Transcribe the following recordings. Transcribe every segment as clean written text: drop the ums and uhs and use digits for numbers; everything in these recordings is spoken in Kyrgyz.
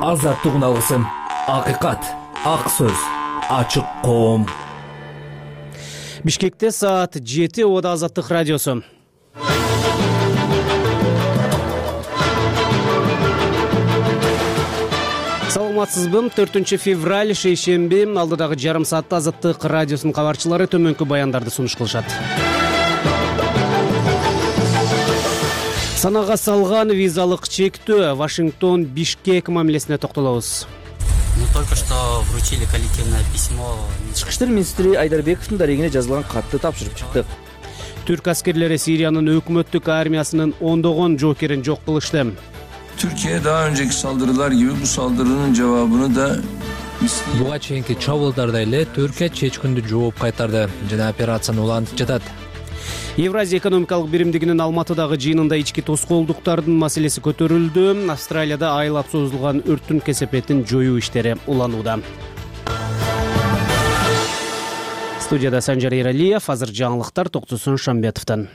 азаттык алгысым, акыйкат, ак сөз, ачык коом. Бишкекте саат 7 Ода Азаттык радиосу. Саламатсызбы? 4 февраль шейшемби алдыдагы жарым саатта Азаттык радиосунун кабарчылары төмөнкү баяндарды сунуш кылышат. Санага салган визалык чектөө, Вашингтон Бишкек мамилесине токтолобуз. Только что вручили коллективное письмо. Тышкы иштер министри Айдарбековдун дарегине жазылган катты тапшырып чыктык. Түрк аскерлери Сириянын өкмөттүк армиясынын ондогон жоокерин жок кылышты. Türkiye daha önceki saldırılar gibi bu saldırının cevabını da буга чейинки чабуулдарда эле Түркия чечкиндүү жооп кайтарды жана операцияны улантып жатат. Евразия экономикалык биримдигинин Алматыдагы жыйынында ички тоскоолдуктардын маселеси көтөрүлдү. Австралияда айлап созулган өрттүн кесепетин жоюу иштери уланууда. Студияда Санжар Эралиев, азыр жаңылыктар Токтосун Шамбетовдон.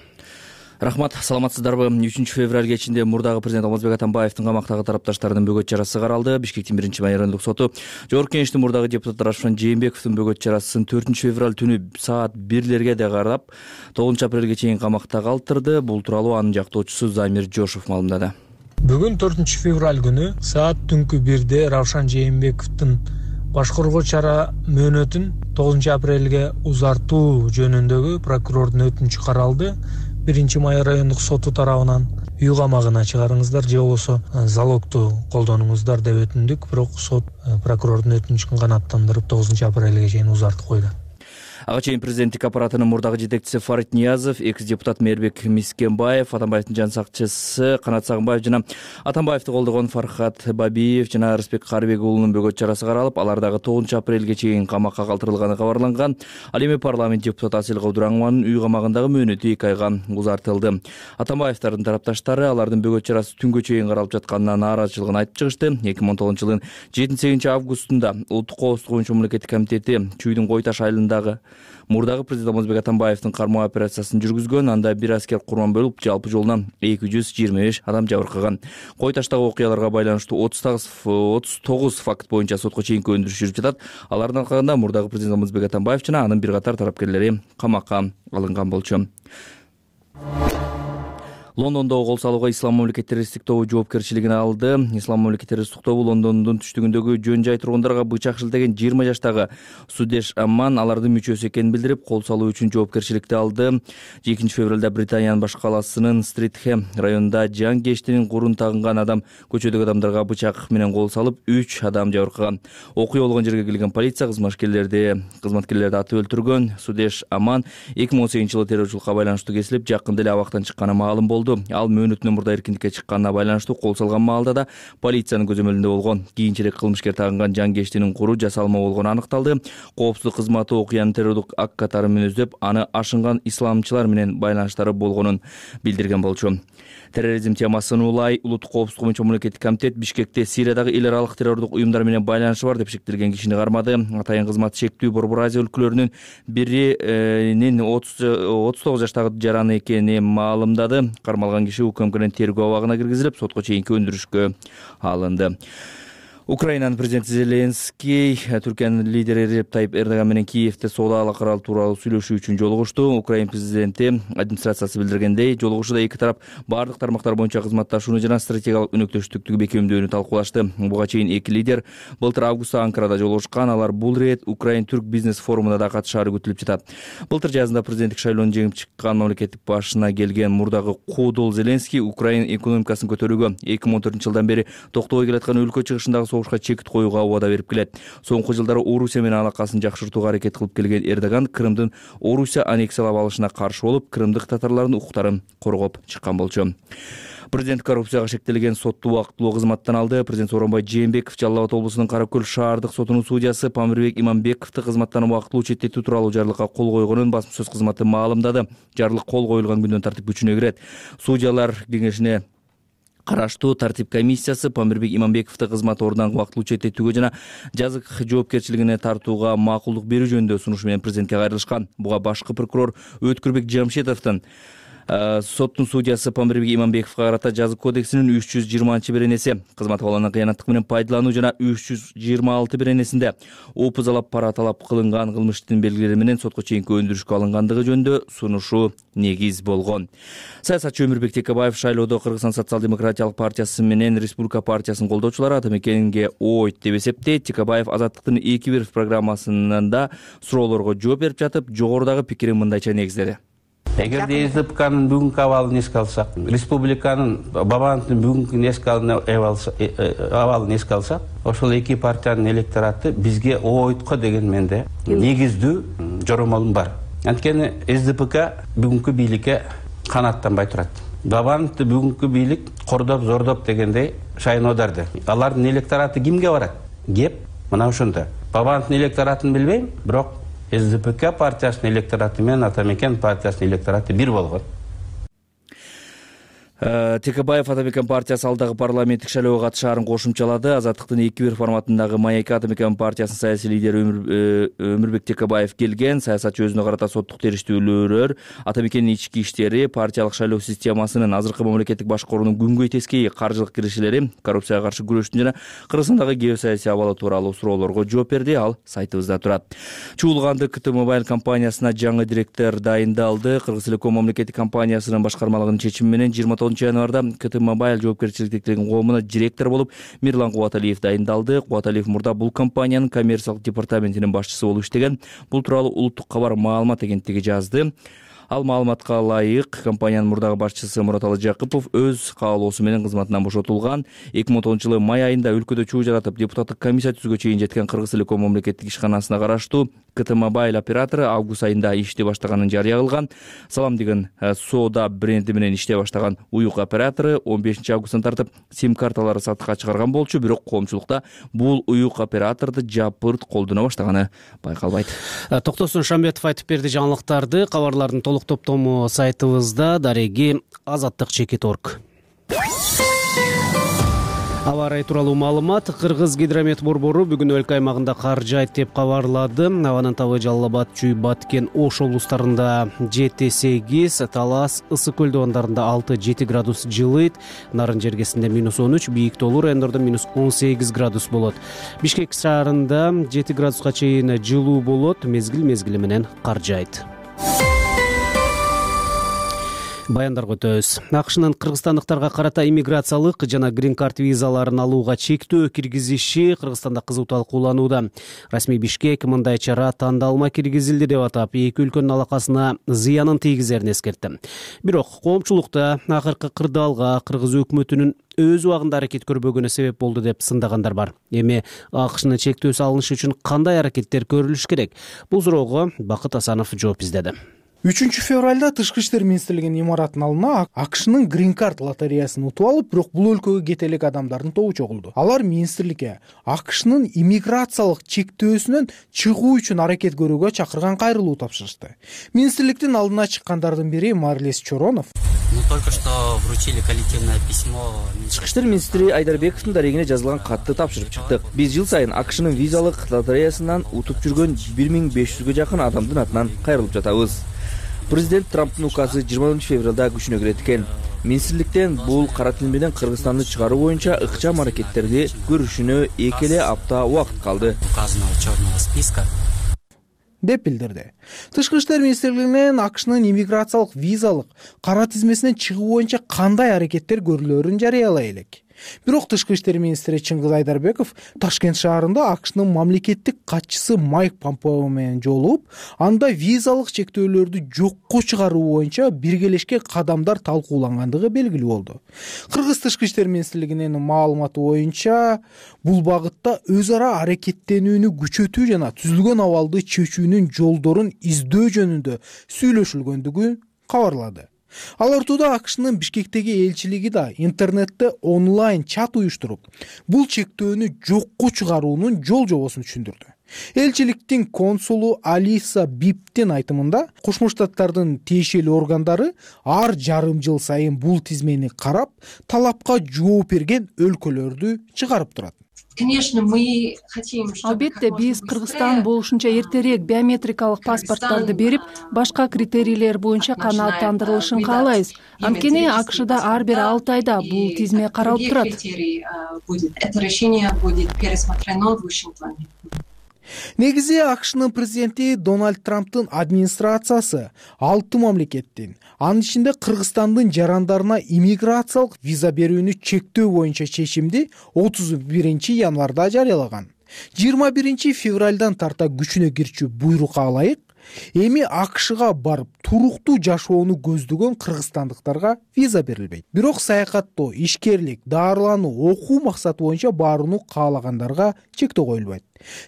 Рахмат, саламатсыздарбы? 3 февраль кечинде мурдагы президент Алмазбек Атамбаевдин камактагы тарапташтарынын бөгөт чарасы каралды. Бишкектин 1-майрандык соту Жогорку Кеңештин мурдагы депутаты Рашфан Жээнбековдун бөгөт чарасын 4 февраль түнү саат 1-лерге да карап 9 апрелге чейин камакта калтырды. Бул тууралуу анын жактоочусу Замир Жошов маалымдады. Бүгүн 4 февраль күнү саат түнкү 1-де Равшан Жээнбековдун баш коргоо чара мөөнөтүн 9 апрелге узартуу жөнүндөгү прокурордун өтүнүчү каралды. 1-май райондук соту тарабынан үй камагына чыгарыңыздар же болбосо залогду колдонуңуздар деп өтүндүк, бирок сот прокурордун өтүнүчүн канааттандырып 9 апрелге чейин узартып койду. Ага чейин президенттик аппаратынын мурдагы жетекчиси Фарид Ниязов, экс-депутат Мээрбек Мискенбаев, Атамбаевдин жан сакчысы Канат Сагынбаев жана Атамбаевди колдогон Фархат Бабиев жана Рыспек Карыбек уулунун бөгөт чарасы каралып, алар дагы 9 апрелге чейин камакка калтырылганы кабарланган. Ал эми парламент депутаты Асель Кабдураңованын үй камагындагы мөөнөтү 2 айга узартылды. Атамбаевдардын тарапташтары алардын бөгөт чарасы түнгө чейин каралып жатканына нааразычылыгын айтып чыгышты. 2019 жылдын 7-8 августунда Улуттук коопсуздук боюнча мамлекеттик комитети Чүйдүн Кой Таш айылындагы мурдагы президент Алмазбек Атамбаевдин кармоо операциясын жүргүзгөн. Анда бир аскер курман болуп, жалпы жолунан 225 адам жабыркаган. Кой Таштагы окуяларга байланыштуу 39 факт боюнча сотко чейинки өндүрүш жүрүп жатат. Алардын аркасында мурдагы президент Алмазбек Атамбаев жана анын бир катар тарапкерлери камакка алынган болчу. Лондондогу кол салууга Ислам мамлекет террористтик тобу жоопкерчилигин алды. Ислам мамлекет террористтик тобу Лондондун түштүгүндөгү жөн жай тургундарга бычак шилтеген 20 жаштагы Судеш Амман алардын мүчөсү экенин билдирип, кол салуу үчүн жоопкерчиликти алды. 2 февралда Британиянын баш каласынын Стритхэм районунда жан кештинин курун тагынган адам көчөдөгү адамдарга бычак менен кол салып, 3 адам жабыркаган. Окуя болгон жерге келген полиция кызматкерлерди атып өлтүргөн. Судеш Амман 2018 жылы террорчулукка байланыштуу кесилип, жакында эле абактан чыкканы маалым болду. Ал мөөнөтүнөн мурда эркиндикке чыкканына байланыштуу кол салган маалда да полициянын көзөмөлүндө болгон. Кийинчерээк кылмышкер тагынган жан кештинин куру жасалма болгону аныкталды. Коопсуздук кызматы окуянын террордук ак катары менен издөп, аны ашынган исламчылар менен байланыштары болгонун билдирген болчу. Терроризм темасын улай Улуттук коопсуздук боюнча мамлекеттик комитет Бишкекте Сириядагы эл аралык террордук уюмдар менен байланышы бар деп шектелген кишини кармады. Атайын кызмат шектүү Борбор Азия өлкөлөрүнүн биринин 39 жаштагы жараны экени маалымдады. Кармалган киши УКМКнын тергөө абагына киргизилип, сотко чейинки өндүрүшкө алынды. Украинанын президенти Зеленский Түркиянын лидери Режеп Тайип Эрдоган менен Киевде соода алакалар тууралуу сүйлөшүү үчүн жолугушту. Украин президенти администрациясы билдиргендей, жолугушууда эки тарап бардык тармактар боюнча кызматташууну жана стратегиялык өнөктөштүктү бекемдөөнү талкуулашты. Буга чейин эки лидер былтыр августта Анкарада жолугушкан. Алар бул ирет Украин-Түрк бизнес форумуна да катышаары күтүлүп жатат. Былтыр жазында президенттик шайлоону жеңип чыккан мамлекеттик башына келген мурдагы куудул Зеленский Украин экономикасын көтөрүүгө 2014 жылдан бери токтобой келаткан өлкө чыгышындагы согушка чекит коюуга убада берип келет. Соңку жылдары Орусия менен алакасын жакшыртууга аракет кылып келген Эрдоган Крымдын Орусия аннексиялап алышына каршы болуп, крымдык татарлардын укуктарын коргоп чыккан болчу. Президент коррупцияга шектелген соту убактылуу кызматтан алды. Президент Сооронбай Жээнбеков Жалал Абад облусунун Каракөл шаардык сотунун судьясы Памирбек Иманбековду кызматтан убактылуу четтетүү тууралуу жарлыкка кол койгонун басма сөз кызматы маалымдады. Жарлык кол коюлган күндөн тартип күчүнө кирет. Судьялар кеңешине караштуу тартип комиссиясы Памирбек Иманбековду кызмат ордунан убактылуу четтетүүгө жана жазык жоопкерчилигине тартууга макулдук берүү жөнүндө сунуш менен президентке кайрылышкан. Буга башкы прокурор Өткүрбек Жамшетовдун Соттун судьясы Памирбек Иманбековго карата жазык кодексинин 320-беренеси кызматка болгон кыянаттык менен пайдалануу жана 326-беренесинде опузалап пара талап кылынган кылмыш иштин белгилери менен сотко чейинки өндүрүшкө алынгандыгы жөнүндө сунушу негиз болгон. Саясатчы Өмүрбек Текебаев шайлоодо Кыргызстан социал-демократиялык партиясы менен Республика партиясынын колдоочулары ата мекенге ойт деп эсептейт. Текебаев Азаттыктын 2-1 программасында суроолорго жооп берип жатып, жогорудагы пикирин мындайча негиздеди. Эгерде СДПКнын бүгүнкү абалын эске алсак, республиканын Бабановдун бүгүнкү абалын эске алсак, ошол эки партиянын электораты бизге ойтко деген менде негиздүү жоромолум бар. Анткени СДПК бүгүнкү бийликке канаттанбай турат. Бабановду бүгүнкү бийлик кордоп, зордоп дегендей шайноодарды. Алардын электораты кимге барат? Кеп мына ошондо. Бабановдун электоратын билбейм, бирок СДПК партиясынын электораты менен Ата мекен партиясынын электораты бир болгон. Текебаев Ата мекен партиясы алдагы парламенттик шайлоого катышаарын кошумчалады. Азаттыктын 2-1 форматындагы маекке Ата мекен партиясынын саясий лидери Өмүрбек Текебаев келген. Саясатчы өзүнө карата соттук териштирүүлөр, Ата мекендин ички иштери, партиялык шайлоо системасынын азыркы мамлекеттик башкаруунун күнгөй тескей каржылык киришелери, коррупцияга каршы күрөштүн жана Кыргызстандагы геосаясий абалы тууралуу суроолорго жооп берди. Ал сайтыбызда турат. Чуулганды КТ Мобайл компаниясына жаңы директор дайындалды. Кыргыз Телеком мамлекеттик компаниясынын башкармалыгынын чечими менен 29 январда КТ Мобайл жоопкерчиликтик коомуна директор болуп Мирлан Кубаталиев дайындалды. Кубаталиев мурда бул компаниянын коммерциялык департаментинин башчысы болуп иштеген. Бул тууралуу Улуттук кабар маалымат агенттиги жазды. Ал маалыматка ылайык компаниянын мурдагы башчысы Мураталы Жакыпов өз каалоосу менен кызматынан бошотулган. 2010-жылы май айында өлкөдө чуу жаратып депутаттык комиссия түзүүгө чейин жеткен Кыргыз Телеком мамлекеттик ишканасына караштуу КТ Мобайл оператору август айында иштей баштаганын жарыя кылган. Салам деген соода бренди менен иштей баштаган уюк оператору 15-августтан тартып сим-карталары сатыкка чыгарган болчу, бирок коомчулукта бул уюк операторду жапырт колдоно баштаганы байкалбайт. Токтосун Шамбетов айтып берди жаңылыктарды. Кабарлардын толук топтому сайтыбызда, дареги azattik.org. Аба ырайы тууралуу маалымат. Кыргыз гидромет борбору бүгүн өлкө аймагында кар жайт деп кабарлады. Абанын табы Жалал Абад, Чүй, Баткен, Ош облустарында 7-8, Талас, Ысык көл дубандарында 6-7 градус жылыйт. Нарын жергесинде -13, бийик тоолуу райондордо -18 градус болот. Бишкек шаарында 7 градуска чейин жылуу болот. Мезгил менен кар жайт. Баяндарга өтөбүз. АКШнын кыргызстандыктарга карата иммиграциялык жана грин-карт визаларын алууга чектөө киргизиши Кыргызстанда кызуу талкууланууда. Расмий Бишкек мындай чара тандалма киргизилди деп атап, эки өлкөнүн алакасына зыянын тийгизерин эскертти. Бирок коомчулукта акыркы кырдаалга кыргыз өкмөтүнүн өз убагында аракет көрбөгөнү себеп болду деп сындагандар бар. Эми АКШнын чектөөсү алынышы үчүн кандай аракеттер көрүлүш керек? Бул суроого Бакыт Асанов жооп издеди. 3 февралда Тышкы иштер министрлигинин имаратынын алдына АКШнын грин-карт лотереясын утуп алып, бирок бул өлкөгө кете элек адамдардын тобу чогулду. Алар министрликке АКШнын иммиграциялык чектөөсүнөн чыгуу үчүн аракет көрүүгө чакырган кайрылуу тапшырышты. Министрликтин алдына чыккандардын бири Марлес Чоронов. Только что вручили коллективное письмо. Тышкы иштер министри Айдарбековдун дарегине жазылган катты тапшырып чыктык. Биз жыл сайын АКШнын визалык лотереясынан утуп жүргөн 1500ге жакын адамдын атынан кайрылып жатабыз. Президент Трамптын указы 20 февралда күчүнө кирет экен. Министрликтен бул кара тил менен Кыргызстанды чыгаруу боюнча ыкчам аракеттерди көрүшүнө 2 апта убакыт калды. Указанного черного списка деп билдирди. Тышкы иштер министрлигинен АКШнын иммиграциялык визалык кара тизмесинен чыгуу боюнча кандай аракеттер көрүлөрүн жарыялай элек. Бирок Тышкы иштер министри Чыңгыз Айдарбеков Ташкент шаарында АКШнын мамлекеттик катчысы Майк Помпео менен жолугуп, анда визалык чектөөлөрдү жокко чыгаруу боюнча биргелешкен кадамдар талкуулангандыгы белгилүү болду. Кыргыз Тышкы иштер министрлигинин маалыматы боюнча, бул багытта өз ара аракеттенүүнү күчөтүү жана түзүлгөн абалды чечүүнүн жолдорун издөө жөнүндө сүйлөшүлгөндүгү кабарлады. Ал ортодо АКШнын Бишкектеги элчилиги да интернетте онлайн чат уюштуруп, бул чектөөнү жокко чыгаруунун жол жобосун түшүндүрдү. Элчиликтин консулу Алиса Биптин айтымында, Кошмо Штаттардын тиешелүү органдары ар жарым жыл сайын бул тизмени карап, талапка жооп берген өлкөлөрдү чыгарып турат. Албетте биз Кыргызстан болушунча эртерээк биометрикалык паспорттарды берип, башка критерийлер боюнча канааттандырылышын каалайбыз. Анткени АКШда ар бир 6 айда бул тизме каралып турат. Негизи АКШнын президенти Дональд Трамптын администрациясы 6 мамлекеттин, анын ичинде Кыргызстандын жарандарына иммиграциялык виза берүүнү чектөө боюнча чечимди 31 январда жарыялаган. 21 февралдан тарта күчүнө кирчү буйрукка ылайык, эми АКШга барып туруктуу жашоону көздөгөн кыргызстандыктарга виза берилбейт. Бирок саякаттоо, ишкерлик, дарылануу, окуу максаты боюнча барууну каалагандарга чектөө коюлбайт.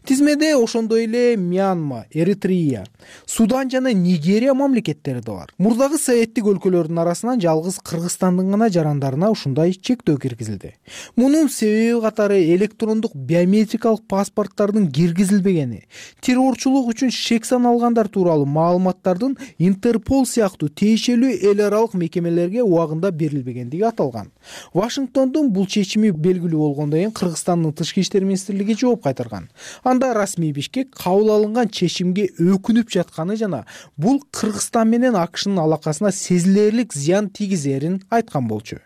Тизмеде ошондой эле Мьянма, Эритрея, Судан жана Нигерия мамлекеттери да бар. Мурдагы советтик өлкөлөрдүн арасынан жалгыз Кыргызстандын гана жарандарына ушундай чектөө киргизилди. Мунун себеби катары электрондук биометрикалык паспорттардын киргизилбегени, террорчулук үчүн шек саналгандар тууралуу маалыматтардын Интерпол сыяктуу тиешелүү эл аралык мекемелерге убагында берилбегендиги аталган. Вашингтондун бул чечими белгилүү болгондон кийин Кыргызстандын тышкы иштер министрлиги жооп кайтарган. Анда расмий Бишкек кабыл алынган чечимге өкүнүп жатканы жана бул Кыргызстан менен АКШнын алакасына сезилерлик зыян тийгизерин айткан болчу.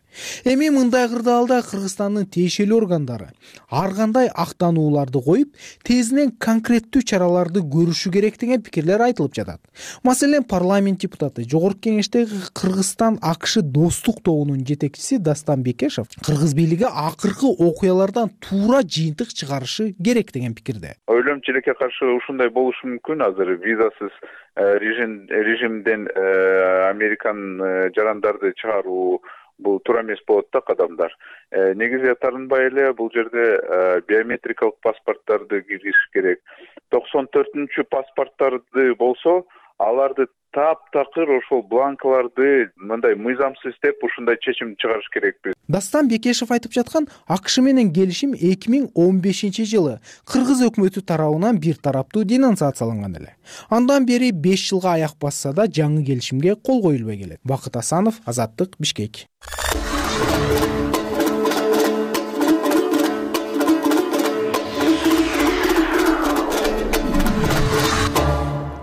Эми мындай кырдаалда Кыргызстандын тиешелүү органдары ар кандай актанууларды коюп, тезинен конкреттүү чараларды көрүшү керек деген пикирлер айтылып жатат. Маселен, парламент депутаты, Жогорку Кеңештеги Кыргызстан АКШ достук тобунун жетекчиси Дастан Бекешев Кыргыз бийлиги акыркы окуялардан туура жыйынтык чыгарышы керек деген пикирде. Ойлойм, чилекке каршы ушундай болушу мүмкүн. Азыр визасыз режимден Американ жарандарды чыгаруу бул туура эмес болот да кадамдар. Негизи тарынбай эле бул жерде биометрикалык паспорттарды киргизиш керек. 94-чү паспорттарды болсо, аларды таптакыр ошол бланкаларды мындай мыйзамсыз деп ушундай чечим чыгарыш керекпиз. Дастан Бекешев айтып жаткан АКШ менен келишим 2015-жылы Кыргыз өкмөтү тарабынан бир тараптуу денонсацияланган эле. Андан бери 5 жылга аяк басса да жаңы келишимге кол коюлбай келет. Бакыт Асанов, Азаттык, Бишкек.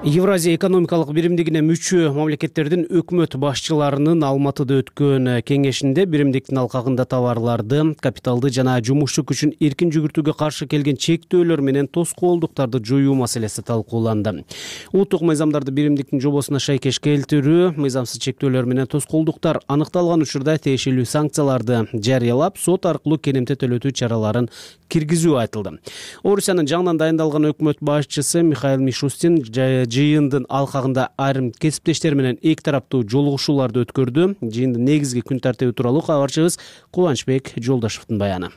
Евразия экономикалык биримдигине мүчө мамлекеттердин өкмөт башчыларынын Алматыда өткөн кеңешинде биримдиктин алкагында товарларды, капиталды жана жумушчу күчүн эркин жүгүртүүгө каршы келген чектөөлөр менен тоскоолдуктарды жоюу маселеси талкууланды. Улуттук мыйзамдарды биримдиктин жобосуна шайкеш келтирүү, мыйзамсыз чектөөлөр менен тоскоолдуктар аныкталган учурда тиешелүү санкцияларды жарыялап, сот аркылуу керемте төлөтүү чараларын киргизүү айтылды. Орусиянын жаңынан дайындалган өкмөт башчысы Михаил Мишустин жыйындын алкагында айрым кесиптештер менен эки тараптуу жолугушууларды өткөрдү. Жыйындын негизги күн тартиби тууралуу кабарчыбыз Кубанычбек Жолдошевдун баяны.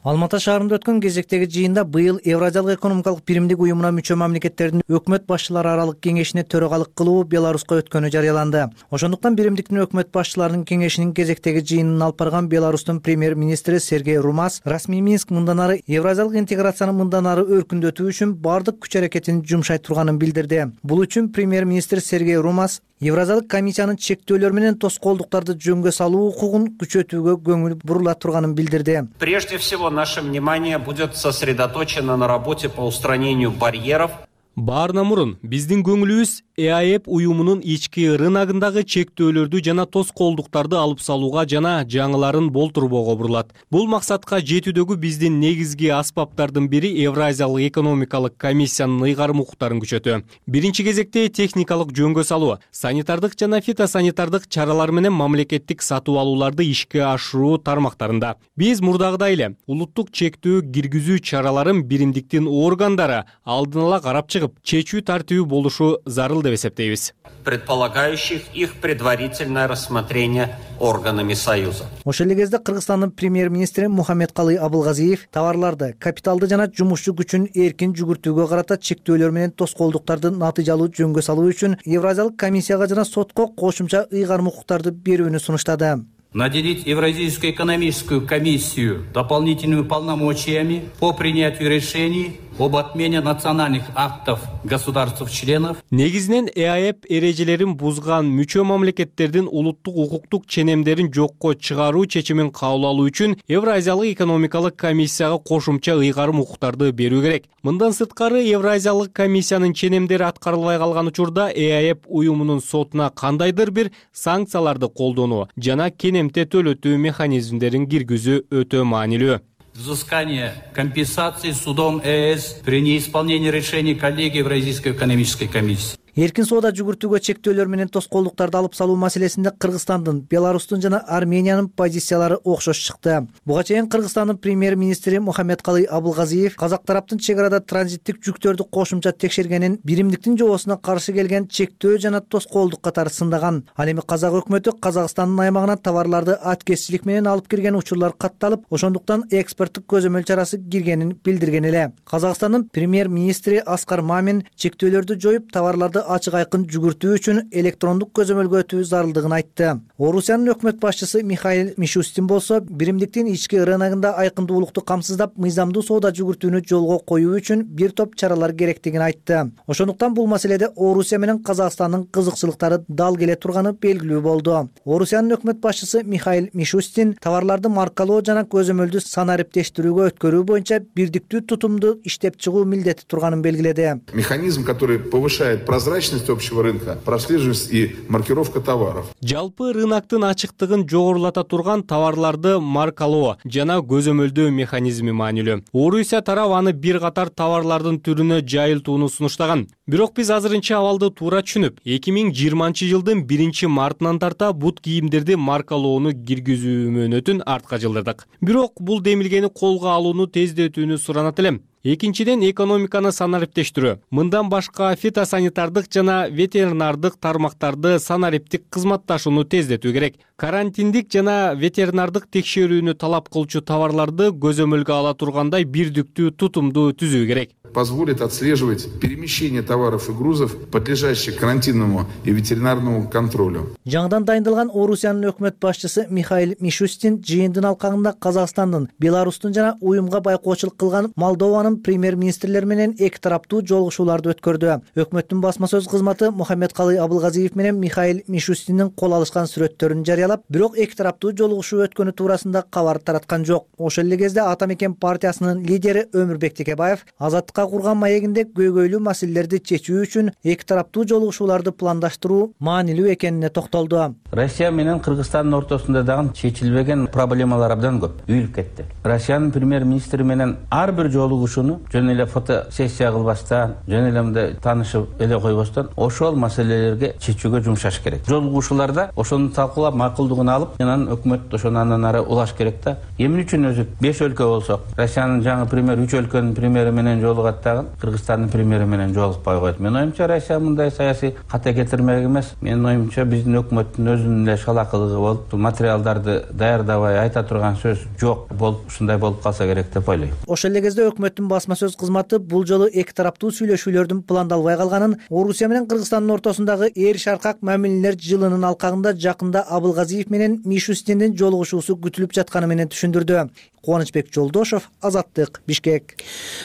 Алматы шаарында өткөн кезектеги жыйында быйыл Евразиялык экономикалык биримдик уюмуна мүчө мамлекеттердин өкмөт башчылары аралык кеңешине төрагалык кылуу Беларуска өткөнү жарыяланды. Ошондуктан биримдиктин өкмөт башчыларынын кеңешинин кезектеги жыйынын алып барган Беларустун премьер-министри Сергей Румас расмий Минск мындан ары евразиялык интеграцияны мындан ары өркүндөтүү үчүн бардык күч аракетин жумшай турганын билдирди. Бул үчүн премьер-министр Сергей Румас Евразиялык комиссиянын чектөөлөр менен тоскоолдуктарды жөнгө салуу укугун күчөтүүгө көңүл бурула турганын билдирди. Прежде всего, наше внимание будет сосредоточено на работе по устранению барьеров. Баарынан мурун биздин көңүлүбүз ЭАЭП уюмунун ички рыногундагы чектөөлөрдү жана тоскоолдуктарды алып салууга жана жаңыларын болтурбоого бурулат. Бул максатка жетүүдөгү биздин негизги аспаптардын бири Евразиялык экономикалык комиссиянын ыйгарым укуктарын күчөтүү. Биринчи кезекте техникалык жөнгө салуу, санитардык жана фитосанитардык чаралар менен мамлекеттик сатып алууларды ишке ашыруу тармактарында. Биз мурдагыдай эле улуттук чектөө киргизүү чараларын биримдиктин органдары алдын ала карап чыгып, чечүү тартиби болушу зарыл деп эсептейбиз. Предполагающих их предварительное рассмотрение органами Союза. Ошол эле кезде Кыргызстандын премьер-министри Мухаммедкалый Абылгазиев товарларды, капиталды жана жумушчу күчүн эркин жүгүртүүгө карата чектөөлөр менен тоскоолдуктарды натыйжалуу жөнгө салуу үчүн Евразиялык комиссияга жана сотко кошумча ыйгарым укуктарды берүүнү сунуштады. Наделить Евразийскую экономическую комиссию дополнительными полномочиями по принятию решений об отмене национальных актов государств-членов. Негизинен ЭАЭП эрежелерин бузган мүчө мамлекеттердин улуттук укуктук ченемдерин жокко чыгаруу чечимин кабыл алуу үчүн Евразиялык экономикалык комиссияга кошумча ыйгарым укуктарды берүү керек. Мындан сырткары Евразиялык комиссиянын ченемдери аткарылбай калган учурда ЭАЭП уюмунун сотуна кандайдыр бир санкцияларды колдонуу жана кенемте төлөтүү механизмдерин киргизүү өтө маанилүү. Взыскание компенсации судом ЕС при неисполнении решений коллегии Евразийской экономической комиссии. Эркин соода жүгүртүүгө чектөөлөр менен тоскоолдуктарды алып салуу маселесинде Кыргызстандын, Беларустун жана Армениянын позициялары окшош чыкты. Буга чейин Кыргызстандын премьер-министри Мухаммедкалый Абылгазиев казак тараптын чек арада транзиттик жүктөрдү кошумча текшергенин, биримдиктин жобосуна каршы келген чектөө жана тоскоолдук катары сындаган. Ал эми казак өкмөтү Казакстандын аймагына товарларды аткезчилик менен алып кирген учурлар катталып, ошондуктан экспорттук көзөмөл чарасы киргенин билдирген эле. Казакстандын премьер-министри Аскар Мамин чектөөлөрдү жоюп, товарларды ачык айкын жүгүртүү үчүн электрондук көзөмөлгө өтүү зарылдыгын айтты. Орусиянын өкмөт башчысы Михаил Мишустин болсо, биримдиктин ички рыногунда айкындуулукту камсыздап, мыйзамдуу соода жүгүртүүнү жолго коюу үчүн бир топ чаралар керектигин айтты. Ошондуктан бул маселеде Орусия менен Казакстандын кызыкчылыктары дал келе турганы белгилүү болду. Орусиянын өкмөт башчысы Михаил Мишустин товарларды маркалоо жана көзөмөлдү санариптештирүүгө өткөрүү боюнча бирдиктүү тутумду иштеп чыгуу милдети турганын белгиледи. Механизм, который повышает прозрачность общего рынка, прослеживаемость и маркировка товаров. Жалпы рыноктун ачыктыгын жогорулата турган товарларды маркалоо жана көзөмөлдөө механизми маанилүү. Орусия тарабы аны бир катар товарлардын түрүнө жайылтууну сунуштаган. Бирок биз азырынча абалды туура түшүнүп, 2020-жылдын 1-мартынан тарта бут кийимдерди маркалоону киргизүү мөөнөтүн артка жылдырдык. Бирок бул демилгени колго алууну тездетүүнү суранат элем. Экинчиден, экономиканы санариптештирүү. Мындан башка фитосанитардык жана ветеринардык тармактарды санариптик кызматташууну тездетүү керек. Карантиндик жана ветеринардык текшерүүнү талап кылчу товарларды көзөмөлгө ала тургандай бирдиктүү тутумду түзүү керек. Позволит отслеживать перемещение товаров и грузов, подлежащих карантинному и ветеринарному контролю. Жаңыдан дайындалган Орусиянын өкмөт башчысы Михаил Мишустин жыйындын алкагында Казакстандын, Беларустун жана уюмга байкоочулук кылган Молдованын премьер-министрлери менен эки тараптуу жолугушууларды өткөрдү. Өкмөттүн басма сөз кызматы Мухаммедкалый Абылгазиев менен Михаил Мишустиндин кол алышкан сүрөттөрүн жарыялап, бирок эки тараптуу жолугушуу өткөнү туурасында кабар тараткан жок. Ошол эле кезде Ата мекен партиясынын лидери Өмүрбек Текебаев азаттыкка курган маегинде көйгөйлүү маселелерди чечүү үчүн эки тараптуу жолугушууларды пландаштыруу маанилүү экенине токтолду. Россия менен Кыргызстандын ортосунда дагы чечилбеген проблемалар абдан көп үйүлүп кетти. Россиянын премьер-министри менен ар бир жолугушууну жөн эле фотосессия кылбастан, жөн эле мындай таанышып эле койбостон ошол маселелерге чечүүгө жумшаш керек. Жолугушууларда ошону талкуулап макулдугун алып, анан өкмөт ошону андан ары улаш керек да. Эмне үчүн өзү 5 өлкө болсок, Россиянын жаңы премьер 3 өлкөнүн премьери менен жолугат дагы Кыргызстандын премьери менен жолукпай койот. Мен оюмча Россия мындай саясий ката кетирмек эмес. Менин оюмча биздин өкмөттүн өзүнүн эле шалакылыгы болуп, материалдарды даярдабай айта турган сөз жок болуп, ушундай болуп калса керек деп ойлойм. Ошол эле кезде өкмөттүн басма сөз кызматы бул жолу эки тараптуу сүйлөшүүлөрдүн пландалбай калганын, Орусия менен Кыргызстандын ортосундагы эр шаркак мамилелер жылынын алкагында жакында Абылгазиев менен Мишустиндин жолугушуусу күтүлүп жатканы менен түшүндүрдү. Кубанычбек Жолдошов, Азаттык, Бишкек.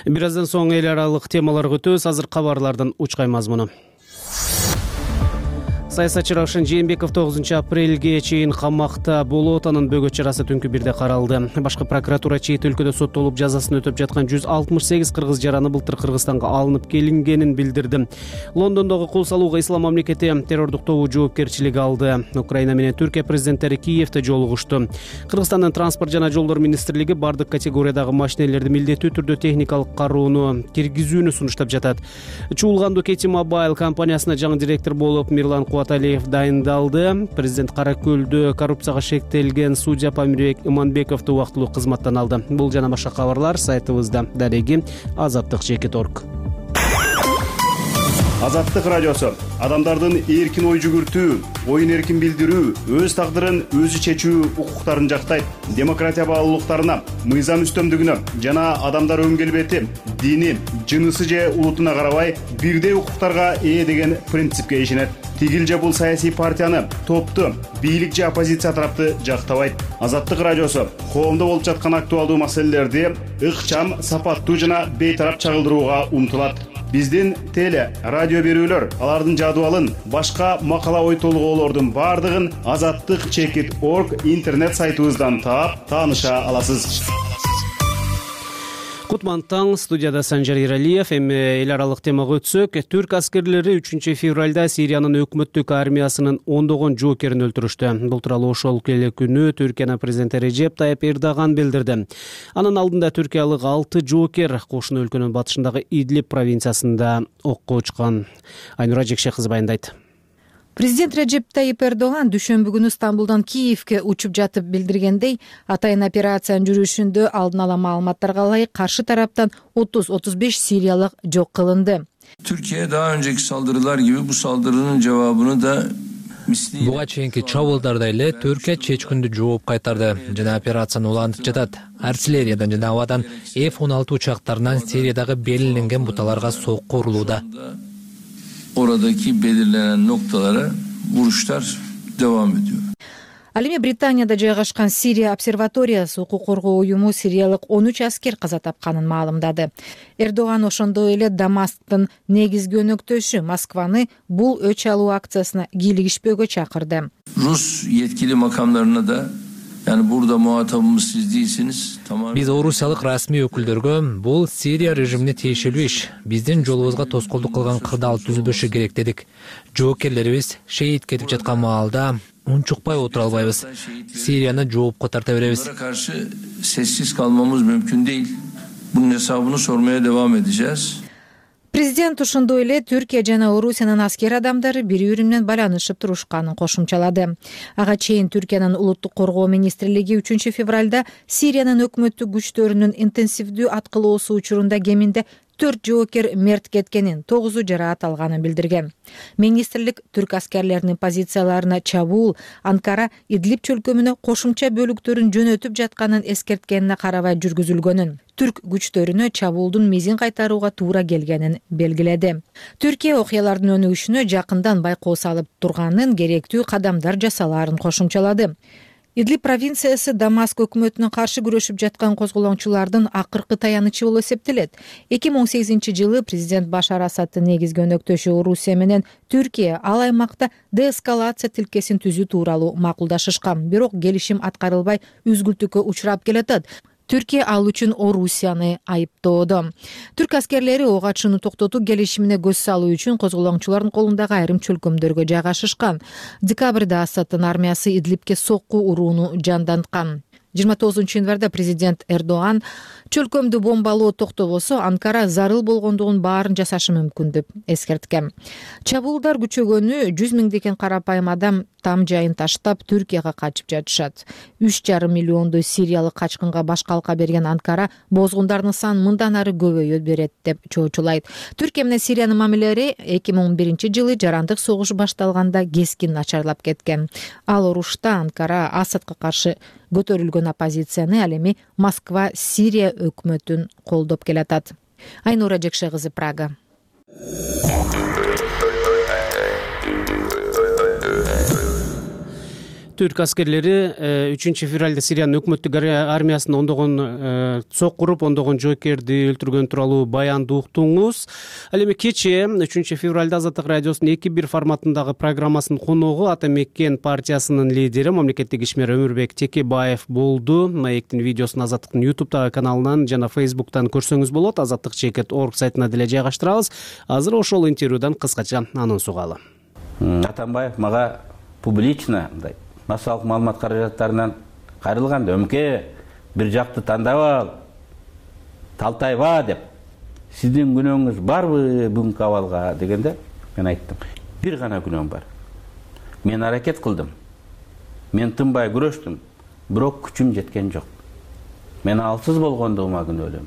Бир аздан соң эл аралык темаларга өтөбүз. Азыр кабарлардын учкай мазмуну. Саясатчы Раушан Жээнбеков 9-апрелге чейин камакта болот. Анын бөгөт чарасы түнкү 1-де каралды. Башкы прокуратура чет өлкөдө соттолуп жазасын өтөп жаткан 168 кыргыз жараны былтыр Кыргызстанга алынып келингенин билдирди. Лондондогу кол салууга Ислам мамлекети террордук тобу жоопкерчилиги алды. Украина менен Түркия президенттери Киевде жолугушту. Кыргызстандын транспорт жана жолдор министрлиги бардык категориядагы машинелерди милдеттүү түрдө техникалык кароону киргизүүнү сунуштап жатат. Чуулганду Кети Мобайл компаниясына жаңы директор болуп Мирлан Кубаталиев дайындалды. Президент Каракөлдө коррупцияга шектелген судья Памирбек Иманбековду убактылуу кызматтан алды. Бул жана башка кабарлар сайтыбызда. Дареги Азаттык.org. Азаттык радиосу адамдардын эркин ой жүгүртүү, оюн эркин билдирүү, өз тагдырын өзү чечүү укуктарын жактайт. Демократия баалуулуктарына, мыйзам үстөмдүгүнө жана адамдар өң келбети, дини, жынысы же улутуна карабай бирдей укуктарга ээ деген принципке ишенет. Тигил же бул саясий партияны, топту, бийлик же оппозиция тарапты жактабайт. Азаттык радиосу коомдо болуп жаткан актуалдуу маселелерди ыкчам, сапаттуу жана бейтарап чагылдырууга умтулат. Биздин теле, радио берүүлөр, алардын жадыбалын, башка макала ой толгоолордун бардыгын azattik.org интернет сайтыбыздан таап, тааныша аласыз. Кутман таң, студияда Санжар Иралиев. Эми эл аралык темага өтсөк, түрк аскерлери 3 февралда Сириянын өкмөттүк армиясынын ондогон жоокерин өлтүрүштү. Бул тууралуу ошол эле күнү Түркиянын президенти Режеп Тайып Эрдоган билдирди. Анын алдында түркиялык 6 жоокер кошуна өлкөнүн батышындагы Идлиб провинциясында окко учкан. Айнура Жекше кызы баяндайт. Президент Режеп Тайып Эрдоган дүйшөмбү күнү Стамбулдан Киевке учуп жатып билдиргендей, атайын операциянын жүрүшүндө алдын ала маалыматтарга ылайык каршы тараптан 30-35 сириялык жок кылынды. Türkiye daha önceki saldırılar gibi bu saldırının cevabını da буга чейинки чабуулдарда эле Түркия чечкүндү жооп кайтарды жана операцияны улантып жатат. Артиллериядан жана абадан F-16 учактарынан Сириядагы белгиленген буталарга сокку урулууда. Oradaki belirlenen noktalara vuruşlar devam ediyor. Ал эми Британияда жайгашкан Сирия обсерваториясы укук коргоо уюму сириялык 13 аскер каза тапканын маалымдады. Эрдоган ошондой эле Дамасктын негизги өнөктөшү Москваны бул өч алуу акциясына кийлигишпөөгө чакырды. Rus yetkili makamlarına da yani burada muhatabımız siz değilsiniz. Биз орусиялык расмий өкүлдөргө бул Сирия режимине тиешелүү иш, биздин жолубузга тоскоолдук кылган кырдаал түзүлбөшү керек дедик. Жоокерлерибиз шейит кетип жаткан маалда унчукпай отура албайбыз. Сирияны жоопко тарта беребиз. Bunlara karşı sessiz kalmamız mümkün değil. Bunun hesabını sormaya devam edeceğiz. Президент ошондой эле Түркия жана Орусиянын аскер адамдары бири-бири менен байланышып турушканын кошумчалады. Ага чейин Түркиянын улуттук коргоо министрлиги 3 февралда Сириянын өкмөттүк күчтөрүнүн интенсивдүү аткылоосу учурунда кеминде 4 жоокер мерт кеткенин, 9 жараат алганын билдирген. Министрлик түрк аскерлеринин позицияларына чабуул Анкара Идлиб чөлкөмүнө кошумча бөлүктөрүн жөнөтүп жатканын эскерткенине карабай жүргүзүлгөнүн, түрк күчтөрүнө чабуулдун мезин кайтарууга туура келгенин белгиледи. Түркия окуялардын өнүгүшүнө жакындан байкоо салып турганын, керектүү кадамдар жасалаарын кошумчалады. Идлиб провинциясы Дамаск өкмөтүнө каршы күрөшүп жаткан козголоңчулардын акыркы таянычы болуп эсептелет. 2018-жылы президент Башар Асадтын негизги өнөктөшү Орусия менен Түркия ал аймакта деэскалация тилкесин түзүү тууралуу макулдашышкан, бирок келишим аткарылбай үзгүлтүккө учурап келатат. Түркия ал үчүн Орусияны айыптоодо. Түрк аскерлери ок атышууну токтотуу келишимине көз салуу үчүн козголоңчулардын колундагы айрым чөлкөмдөргө жайгашышкан. Декабрда Асадтын армиясы Идлибке сокку урууну жанданткан. 29 январда президент Эрдоган чөлкөмдү бомбалоо токтобосо Анкара зарыл болгондугун баарын жасашы мүмкүн деп эскерткен. Чабуулдар күчөгөнү 100 миңдеген карапайым адам там жайын таштап Түркияга качып жатышат. 3,5 миллиондой сириялык качкынга баш калка берген Анкара бозгундардын санын мындан ары көбөйө берет деп чоочулайт. Түркия менен Сириянын мамилелери 2011-жылы жарандык согуш башталганда кескин начарлап кеткен. Ал урушта Анкара Асадка каршы көтөрүлгөн оппозицияны, ал эми Москва Сирия өкмөтүн колдоп келатат. Айнура Жекше кызы, Прага. Түрк аскерлери 3 февралда Сириянын өкмөттүк армиясынын ондогон сокку уруп, ондогон жоокерди өлтүргөн тууралуу баянды уктуңуз. Ал эми кечээ 3 февралда Азаттык радиосунун 2-1 форматындагы программасынын коногу Ата Меккен партиясынын лидери, мамлекеттик ишмер Өмүрбек Текебаев болду. Маектин видеосун Азаттыктын YouTube каналынан жана Facebook-тан көрсөңүз болот. azattik.org сайтына деле жайгаштырабыз. Азыр ошол интервьюдан кыскача анонс угалы. Атамбаев мага публично мындай массалык маалымат каражаттарынан кайрылганда өмке бир жакты тандап ал, талтайба деп, сиздин күнөөңүз барбы бүгүнкү абалга дегенде мен айттым, бир гана күнөөм бар. Мен аракет кылдым. Мен тынбай күрөштүм, бирок күчүм жеткен жок. Мен алсыз болгондугума күнөөлөйм.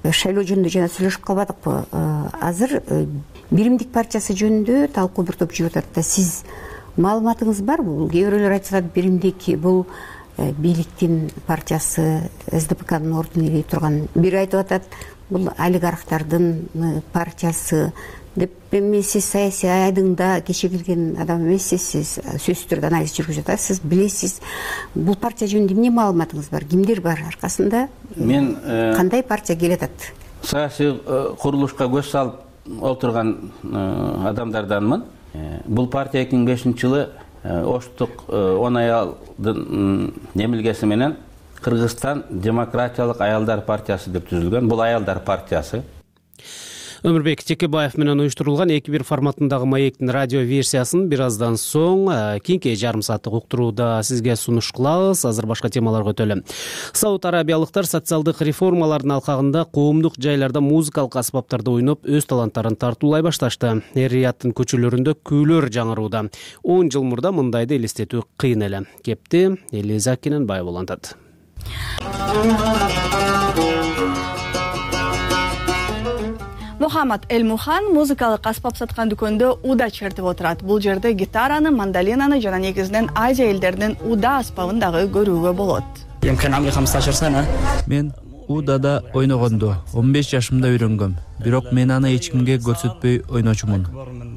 шайлоо жөнүндө жана сүйлөшүп калбадыкпы? Азыр биримдик партиясы жөнүндө талкуу бир топ жүрүп атат да. Сиз маалыматыңыз барбы? Бул кээ бирөөлөр айтып атат, биримдик бул бийликтин партиясы, СДПКнын ордун ээлей турган. Бири айтып атат, бул олигархтардын партиясы деп. Эми сиз саясий айдыңда кечигилген адам эмессиз, сиз сөзсүз түрдө анализ жүргүзүп атасыз, билесиз. Бул партия жөнүндө эмне маалыматыңыз бар? Кимдер бар аркасында? Мен кандай партия келатат? Саясий курулушка көз салып отурган адамдарданмын. Бул партия 2005-жылы Оштук 10 аялдын немилгеси менен Кыргызстан демократиялык аялдар партиясы деп түзүлгөн. Бул аялдар партиясы. Өмүрбек Текебаев менен уюштурулган 2-1 форматындагы маектин радио версиясын бир аздан соң кийинки жарым сааттык уктурууда сизге сунуш кылабыз. Азыр башка темаларга өтөлү. Сауд Арабиялыктар социалдык реформалардын алкагында коомдук жайларда музыкалык аспаптарды ойноп өз таланттарын тартуулай башташты. Эр-Рияттын көчөлөрүндө күүлөр жаңырууда. 10 жыл мурда мындайды элестетүү кыйын эле. Кепти Элиза Кененбаева улантат. Мухаммад Эль-Мухан музыкалык аспап саткан дүкөндө уда чертип отурат. Бул жерде гитараны, мандолинаны жана негизинен Азия элдеринин уда аспабын дагы көрүүгө болот. Мен удада ойногонду 15 жашымда үйрөнгөм. Бирок мен аны эч кимге көрсөтпөй ойночумун.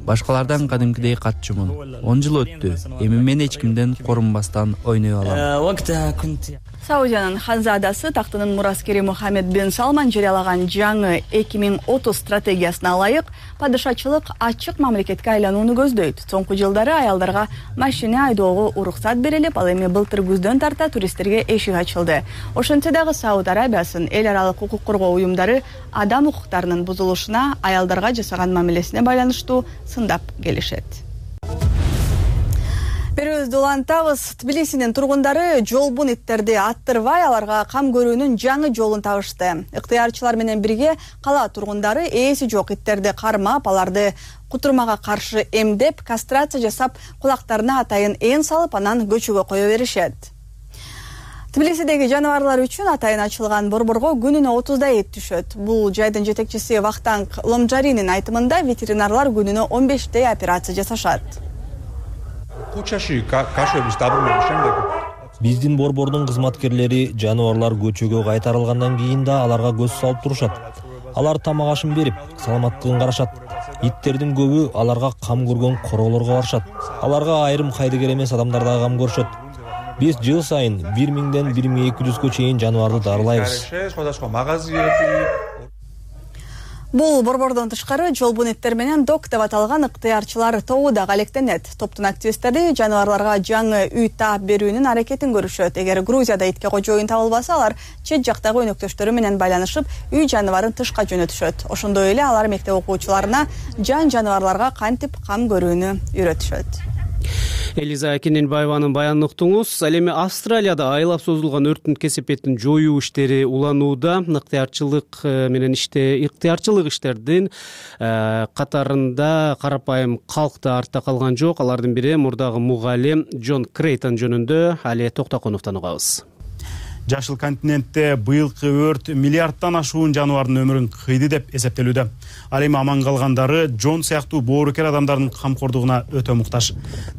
Башкалардан кадимкидей катчумун. 10 жыл өттү. Эми мен эч кимден корунбастан ойной алам. Саудиянын ханзадасы тактынын мураскери Мухаммед бин Салман жарыялаган жаңы 2030 стратегиясына ылайык падышачылык ачык мамлекетке айланууну көздөйт. Соңку жылдары аялдарга машина айдоого уруксат берилип, ал эми былтыр күздөн тарта туристтерге эшик ачылды. Ошентсе дагы Сауд Арабиясынын эл аралык укук коргоо уюмдары адам укуктарынын бузулушуна, аялдарга жасаган мамилесине байланыштуу сындап келишет. Берүүбүздү улантабыз. Тбилисинин тургундары жолбун иттерди аттырбай аларга кам көрүүнүн жаңы жолун табышты. Ыктыярчылар менен бирге кала тургундары ээси жок иттерди кармап, аларды кутурмага каршы эмдеп, кастрация жасап, кулактарына атайын эн салып, анан көчөгө кое беришет. Тбилисидеги жаныбарлар үчүн атайын ачылган борборго күнүнө 30 эт түшөт. Бул жайдын жетекчиси Вахтанг Ломжаринин айтымында ветеринарлар күнүнө 15 операция жасашат. Биздин борбордун кызматкерлери жаныбарлар көчөгө кайтарылгандан кийин да аларга көз салып турушат. Алар тамак ашын берип, саламаттыгын карашат. Иттердин көбү аларга кам көргөн короолорго барышат. Аларга айрым кайдыгер эмес адамдар да кам көрүшөт. Биз жыл сайын 1000ден 1200гө чейин жаныбарды дарылайбыз. Бул борбордон тышкары жолбун иттер менен док деп аталган ыктыярчылар тобу да алектенет. Топтун активисттери жаныбарларга жаңы үй таап берүүнүн аракетин көрүшөт. Эгер Грузияда итке кожоюн табылбаса, алар чет жактагы өнөктөштөрү менен байланышып, үй жаныбарын тышка жөнөтүшөт. Ошондой эле алар мектеп окуучуларына жан жаныбарларга кантип кам көрүүнү үйрөтүшөт. Элиза Кененбаеванын баянын уктуңуз. Ал эми Австралияда айлап созулган өрттүн кесепетин жоюу иштери уланууда. Ыктыярчылык иштердин катарында карапайым калк да артта калган жок. Алардын бири мурдагы мугалим Джон Крейтон жөнүндө Али Токтоконовдон угабыз. Жашыл континентте быйылкы өрт миллиардтан ашуун жаныбардын өмүрүн кыйды деп эсептелүүдө. Ал эми аман калгандары Джон сыяктуу боорукер адамдардын камкордугуна өтө муктаж.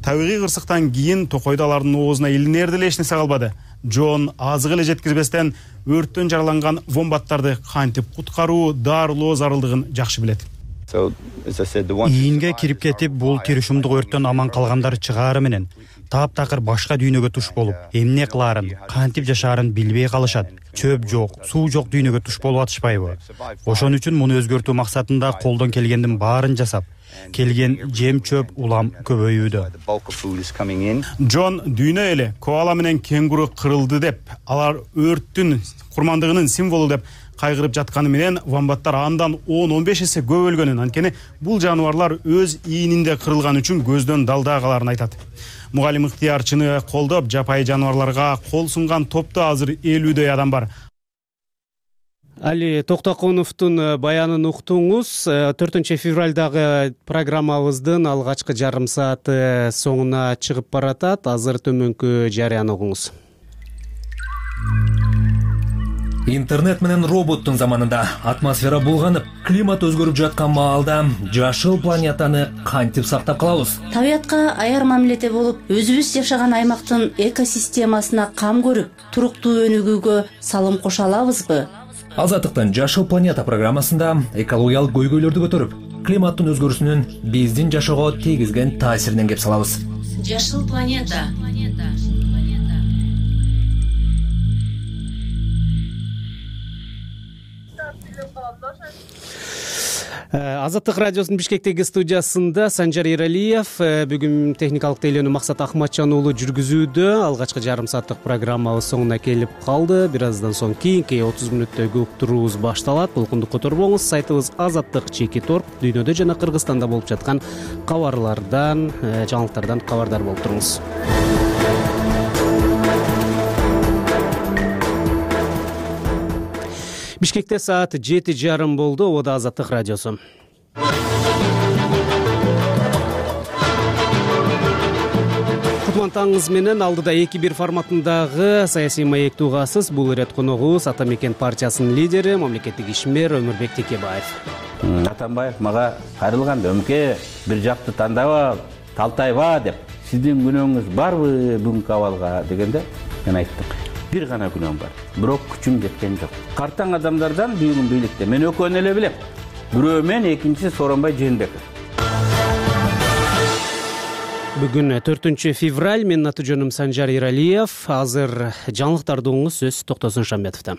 Табигый кырсыктан кийин токойдо алардын оозуна илинер деле эч нерсе калбады. Джон азык эле жеткирбестен өрттөн жараланган вомбаттарды кантип куткаруу, дарылоо зарылдыгын жакшы билет. Ийинге кирип кетип, бул тиришумдук өрттөн аман калгандар чыгаары менен таптакыр башка дүйнөгө туш болуп, эмне кылаарын, кантип жашаарын билбей калышат. Чөп жок, суу жок дүйнөгө туш болуп атышпайбы? Ошон үчүн муну өзгөртүү максатында колдон келгендин баарын жасап, келген жем чөп улам көбөйүүдө. Джон дүйнө эле коала менен кенгуру кырылды деп, алар өрттүн курмандыгынын символу деп кайгырып жатканы менен вомбаттар андан 10-15 эсе көп өлгөнүн, анткени бул жаныбарлар өз ийининде кырылган үчүн көздөн далдаагаларын айтат. Мугалим ыктыярчыны колдоп, жапайы жаныбарларга кол сунган топто азыр 50дөй адам бар. Али Токтоконовдун баянын уктуңуз. 4 февралдагы программабыздын алгачкы жарым сааты соңуна чыгып баратат. Азыр төмөнкү жарыяны угуңуз. Интернет менен роботтун заманында атмосфера булганып, климат өзгөрүп жаткан маалда жашыл планетаны кантип сактап калабыз? Табиятка аяр мамиледе болуп, өзүбүз жашаган аймактын экосистемасына кам көрүп, туруктуу өнүгүүгө салым кошо алабызбы? Азаттыктын Жашыл планета программасында экологиялык көйгөйлөрдү көтөрүп, климаттын өзгөрүүсүнүн биздин жашоого тийгизген таасиринен кеп салабыз. Жашыл планета. Азаттык радиосунун Бишкектеги студиясында Санжар Эралиев, бүгүн техникалык тейлөөнү Максат Ахматжан уулу жүргүзүүдө. Алгачкы жарым сааттык программабыз соңуна келип калды. Бир аздан соң кийинки 30 мүнөттөгү уктуруубуз башталат. Толкунду которбоңуз. Сайтыбыз Азаттык.org. Дүйнөдө жана Кыргызстанда болуп жаткан кабарлардан, жаңылыктардан кабардар болуп туруңуз. Бишкекте саат 7:30 болду. Ода Азаттык радиосу. Кутмантаңыз менен алдыда 2-1 форматындагы саясий маектүү угасыз. Бул ирет коногубуз Ата Мекен партиясынын лидери, мамлекеттик ишмер Өмүрбек Текебаев. Атамбаев мага кайрылган, Өмке бир жакты тандабап, талтайба деп. Сиздин күнөөңүз барбы бүгүнкү абалга дегенде мен айттым. Бир гана күнөөм бар. Бирок күчүм жеткен жок. Картаң адамдардан бүгүн бийликте мен экөөнү эле билем. Бирөө мен, экинчиси Сооронбай Жээнбеков. Бүгүн 4 февраль. Менин аты жөнүм Санжар Эралиев. Азыр жаңылыктарды угуңуз, сөз Токтосун Шамбетовдон.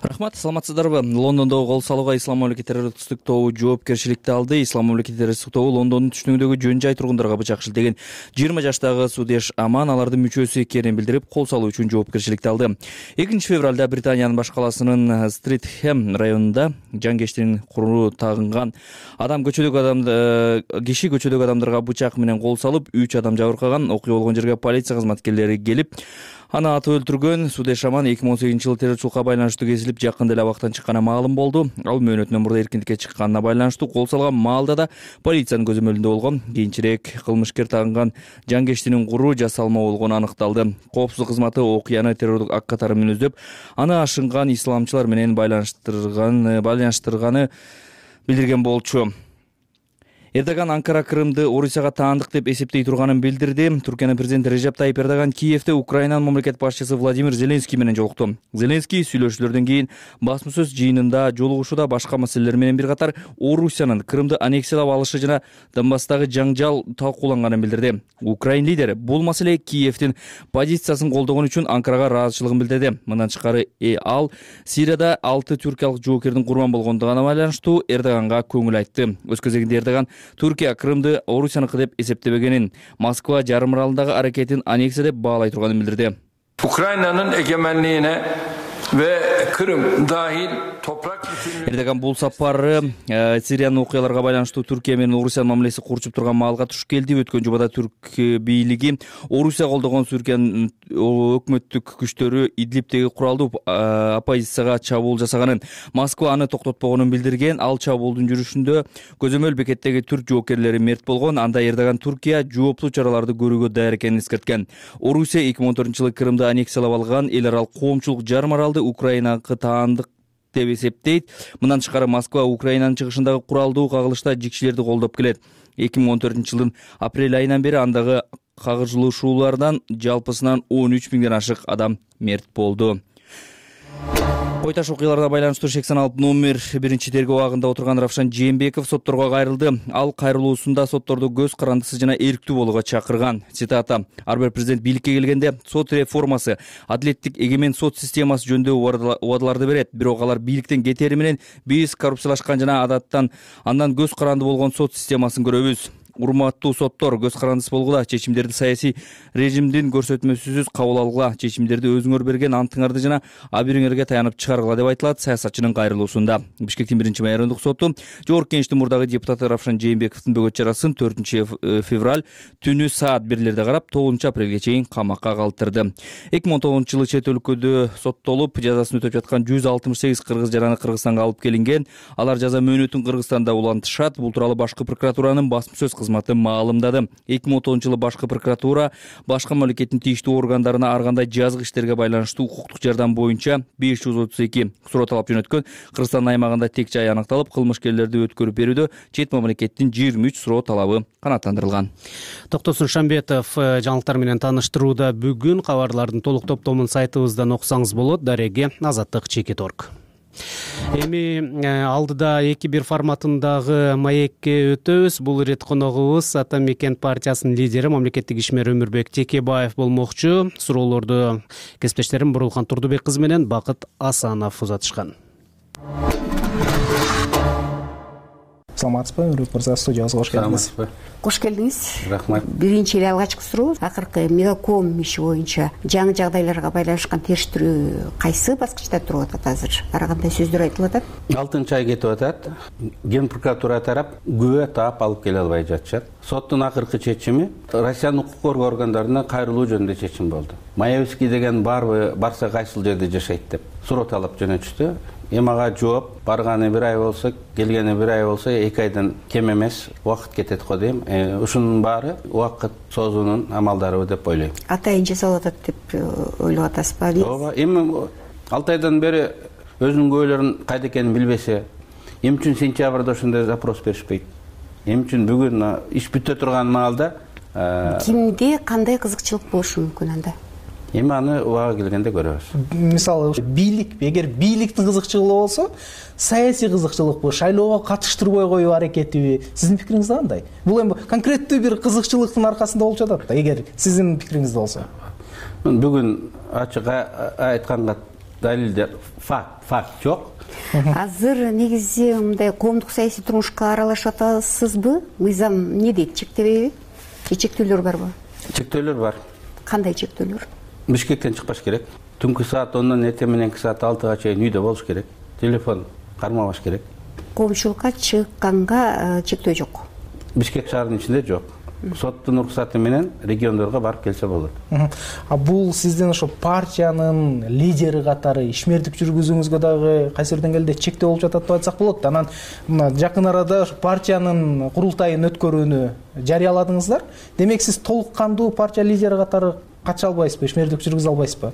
Рахмат, саламатсыздарбы? Лондондогу кол салууга Ислам мамлекет террористтик тобу жоопкерчиликти алды. Ислам мамлекет террористтик тобу Лондондун түштүгүндөгү жөн жай тургундарга бычак шилтеген 20 жаштагы Судеш Аман алардын мүчөсү экенин билдирип, кол салуу үчүн жоопкерчиликти алды. 2 февралда Британиянын баш каласынын Стритхэм районунда жангештин куру тагынган киши көчөдөгү адамдарга бычак менен кол салып, 3 адам жабыркаган. Окуя болгон жерге полиция кызматкерлери келип, аны атып өлтүргөн. Судеш Аман 2018-жылы террорчулукка байланыштуу кезилип, жакында эле абактан чыкканы маалым болду. Ал мөөнөтүнөн мурда эркиндикке чыкканына байланыштуу кол салган маалда да полициянын көзөмөлүндө болгон. Кийинчерээк кылмышкер тагынган жангештинин куру жасалма болгону аныкталды. Коопсуздук кызматы окуяны террордук ак катары менен өздөп, аны ашынган исламчылар менен байланыштырганы билдирген болчу. Эрдоган Анкара Крымды Орусияга таандык деп эсептей турганын билдирди. Түркиянын президенти Режеп Тайип Эрдоган Киевде Украинанын мамлекет башчысы Владимир Зеленский менен жолукту. Зеленский сүйлөшүүлөрдөн кийин басма сөз жыйынында жолугушууда башка маселелер менен бир катар Орусиянын Крымды аннексиялап алышы жана Донбасстагы жаңжал талкууланганын билдирди. Украин лидери бул маселе Киевдин позициясын колдогон үчүн Анкарага ыраазычылыгын билдирди. Мындан тышкары ал Сирияда 6 түркиялык жоокердин курман болгондугуна байланыштуу Эрдоганга көңүл айтты. Өз кезегинде Эрдоган Түркия Крымды Орусияныкы деп эсептебегенин, Москва жарым аралындагы аракетин аннексия деп баалай турганын билдирди. Ukrayna'nın egemenliğine ve Kırım dahil toprak Эрдоган бул сапары Сириянын окуяларга байланыштуу Түркия менен Орусиянын мамилеси курчуп турган маалга туш келди. Өткөн жумада түрк бийлиги Орусия колдогон Түркиянын өкмөттүк күчтөрү Идлибтеги куралдуу оппозицияга чабуул жасаганын, Москва аны токтотпогонун билдирген. Ал чабуулдун жүрүшүндө көзөмөл бекеттеги түрк жоокерлери мерт болгон. Анда Эрдоган Түркия жооптуу чараларды көрүүгө даяр экенин эскерткен. Орусия 2014-жылы Крымды аннексиялап алган эл аралык коомчулук жарым аралды Украинага таандык деп эсептейт. Мындан тышкары Москва Украинанын чыгышындагы куралдуу кагылышта жикчилерди колдоп келет. 2014-жылдын апрель айынан бери андагы кагылышуулардан жалпысынан 13 миңден ашык адам мерт болду. Кой таш окуяларына байланыштуу шек саналып номер 1 тергөө абагында отурган Равшан Жээнбеков сотторго кайрылды. Ал кайрылуусунда сотторду көз карандысыз жана эрктүү болууга чакырган. Цитата: "Ар бир президент бийликке келгенде сот реформасы, адилеттик эгемен сот системасы жөнүндө убадаларды берет. Бирок алар бийликтен кетери менен биз коррупциялашкан жана андан көз каранды болгон сот системасын көрөбүз. Урматтуу соттор, көз карандысыз болгула, чечимдерди саясий режимдин көрсөтмөсүсүз кабыл алгыла, чечимдерди өзүңөр берген антыңарды жана абийириңерге таянып чыгаргыла" деп айтылат саясатчынын кайрылуусунда. Бишкектин 1-майрындык соту Жогорку Кеңештин мурдагы депутаты Равшан Жээнбековдун бөгөт чарасын 4 февраль түнү саат 1-лерде карап, 9 апрелге чейин камакка калтырды. 2019-жылы чет өлкөдө соттолуп, жазасын өтөп жаткан 168 кыргыз жараны Кыргызстанга алып келинген. Алар жаза мөөнөтүн Кыргызстанда улантышат. Бул тууралуу башкы прокуратуранын басма сөз кызматы маалымдады. 2010-жылы башкы прокуратура башка мамлекеттин тийиштүү органдарына ар кандай жазык иштерге байланыштуу укуктук жардам боюнча 532 суроо талап жөнөткөн. Кыргызстан аймагында тек жай аныкталып, кылмышкерлерди өткөрүп берүүдө чет мамлекеттин 23 суроо талабы канааттандырылган. Токтосун Шамбетов жаңылыктар менен таныштырууда. Бүгүн кабарлардын толук топтомун сайтыбыздан окусаңыз болот. Дареги Азаттык Чекит.орг. Эми алдыда 2-1 форматындагы маекке өтөбүз. Бул ирет коногубуз Ата Мекен партиясынын лидери мамлекеттик ишмер Өмүрбек Текебаев болмокчу. Суроолорду кесиптештерим Бурулхан Турдубек кызы менен Бакыт Асанов узатышкан. Саламатсызбы, Өмүрбек мырза, студиябызга кош келдиңиз. Кош келдиңиз. Рахмат. Биринчи эле алгачкы суроо, акыркы Мегаком иши боюнча жаңы жагдайларга байланышкан териштирүү кайсы баскычта туруп атат азыр? Ар кандай сөздөр айтылып атат? 6-ай кетип атат. Ген прокуратура тарап күбө таап алып келе албай жатышат. Соттун акыркы чечими Россиянын укук коргоо органдарына кайрылуу жөнүндө чечим болду. Маевский деген барса кайсыл жерде жашайт деп суроо талап жөнөтүштү. Эмага жооп барганы 1 ай болсо, келгени 1 ай болсо 2 айдан кем эмес убакыт кетет го дейм. Ушунун баары убакыт созуунун амалдары деп ойлойм. Атайын жасалып атат деп ойлоп атасызбы? Ооба, эми 6 айдан бери өзүнүн көөлөрүн кайда экенин билбесе, эмне үчүн сентябрда ошондой запрос беришпейт? Эмне үчүн бүгүн иш бүтө турган маалда кимде кандай кызыкчылык болушу мүмкүн анда? Эми аны убага келгенде көрөбүз. Мисалы, бийлик, эгер бийликтин кызыкчылыгы болсо, саясий кызыкчылыкпы, шайлоого катыштырбой коюу аракетиби? Сиздин пикириңиз кандай? Бул эми конкреттүү бир кызыкчылыктын аркасында болуп жатат да, эгер сиздин пикириңизде болсо. Бүгүн ачык айтканга далилдер факт жок. Азыр негизи мындай коомдук саясий турмушка аралашып атасызбы? Мыйзам эмне дейт, чектебейби? Чектөөлөр барбы? Чектөөлөр бар. Кандай чектөөлөр? Бишкектен чыкпаш керек. Түнкү саат 10-дон эртең мененки саат 6-га чейин үйдө болуш керек. Телефон кармабаш керек. Коомчулукка чыкканга чектөө жок. Бишкек шаарынын ичинде жок. Соттун уруксаты менен региондорго барып келсе болот. Бул сиздин ошо партиянын лидери катары ишмердик жүргүзүүңүзгө дагы кайсы бир деңгээлде чектөө болуп жатат деп айтсак болот. Анан мына жакын арада партиянын курултайын өткөрүүнү жарыяладыңыздар. Демек сиз толук кандуу партия лидери катары катыша албайсызбы, ишмердик жүргүзө албайсызбы?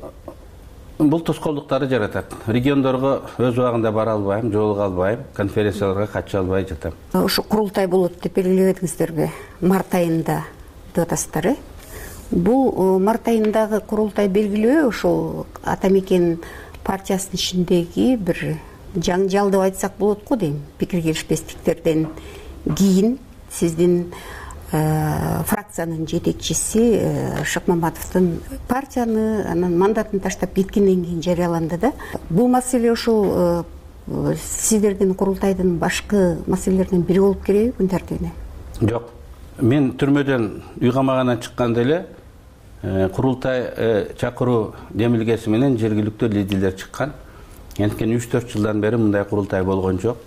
Бул тоскоолдуктарды жаратат. Региондорго өз убагында бара албайм, жолуга албайм, конференцияларга катыша албай жатам. Ошо курултай болот деп белгилебедиңиздерби? Март айында деп атасыздар, Бул март айындагы курултай белгилөө ошол Ата Мекен партиясынын ичиндеги бир жаңжал деп айтсак болот го дейм. Пикир келишпестиктерден кийин сиздин фракциянын жетекчиси Шыкмаматовдун партияны анан мандатын таштап кеткенден кийин жарыяланды да. Бул маселе ошол сиздердин курултайдын башкы маселелеринин бири болуп келеби күн тартибине? Жок. Мен түрмөдөн үй камагандан чыкканда эле курултай чакыруу демилгеси менен жергиликтүү лидерлер чыккан. Анткени 3-4 жылдан бери мындай курултай болгон жок.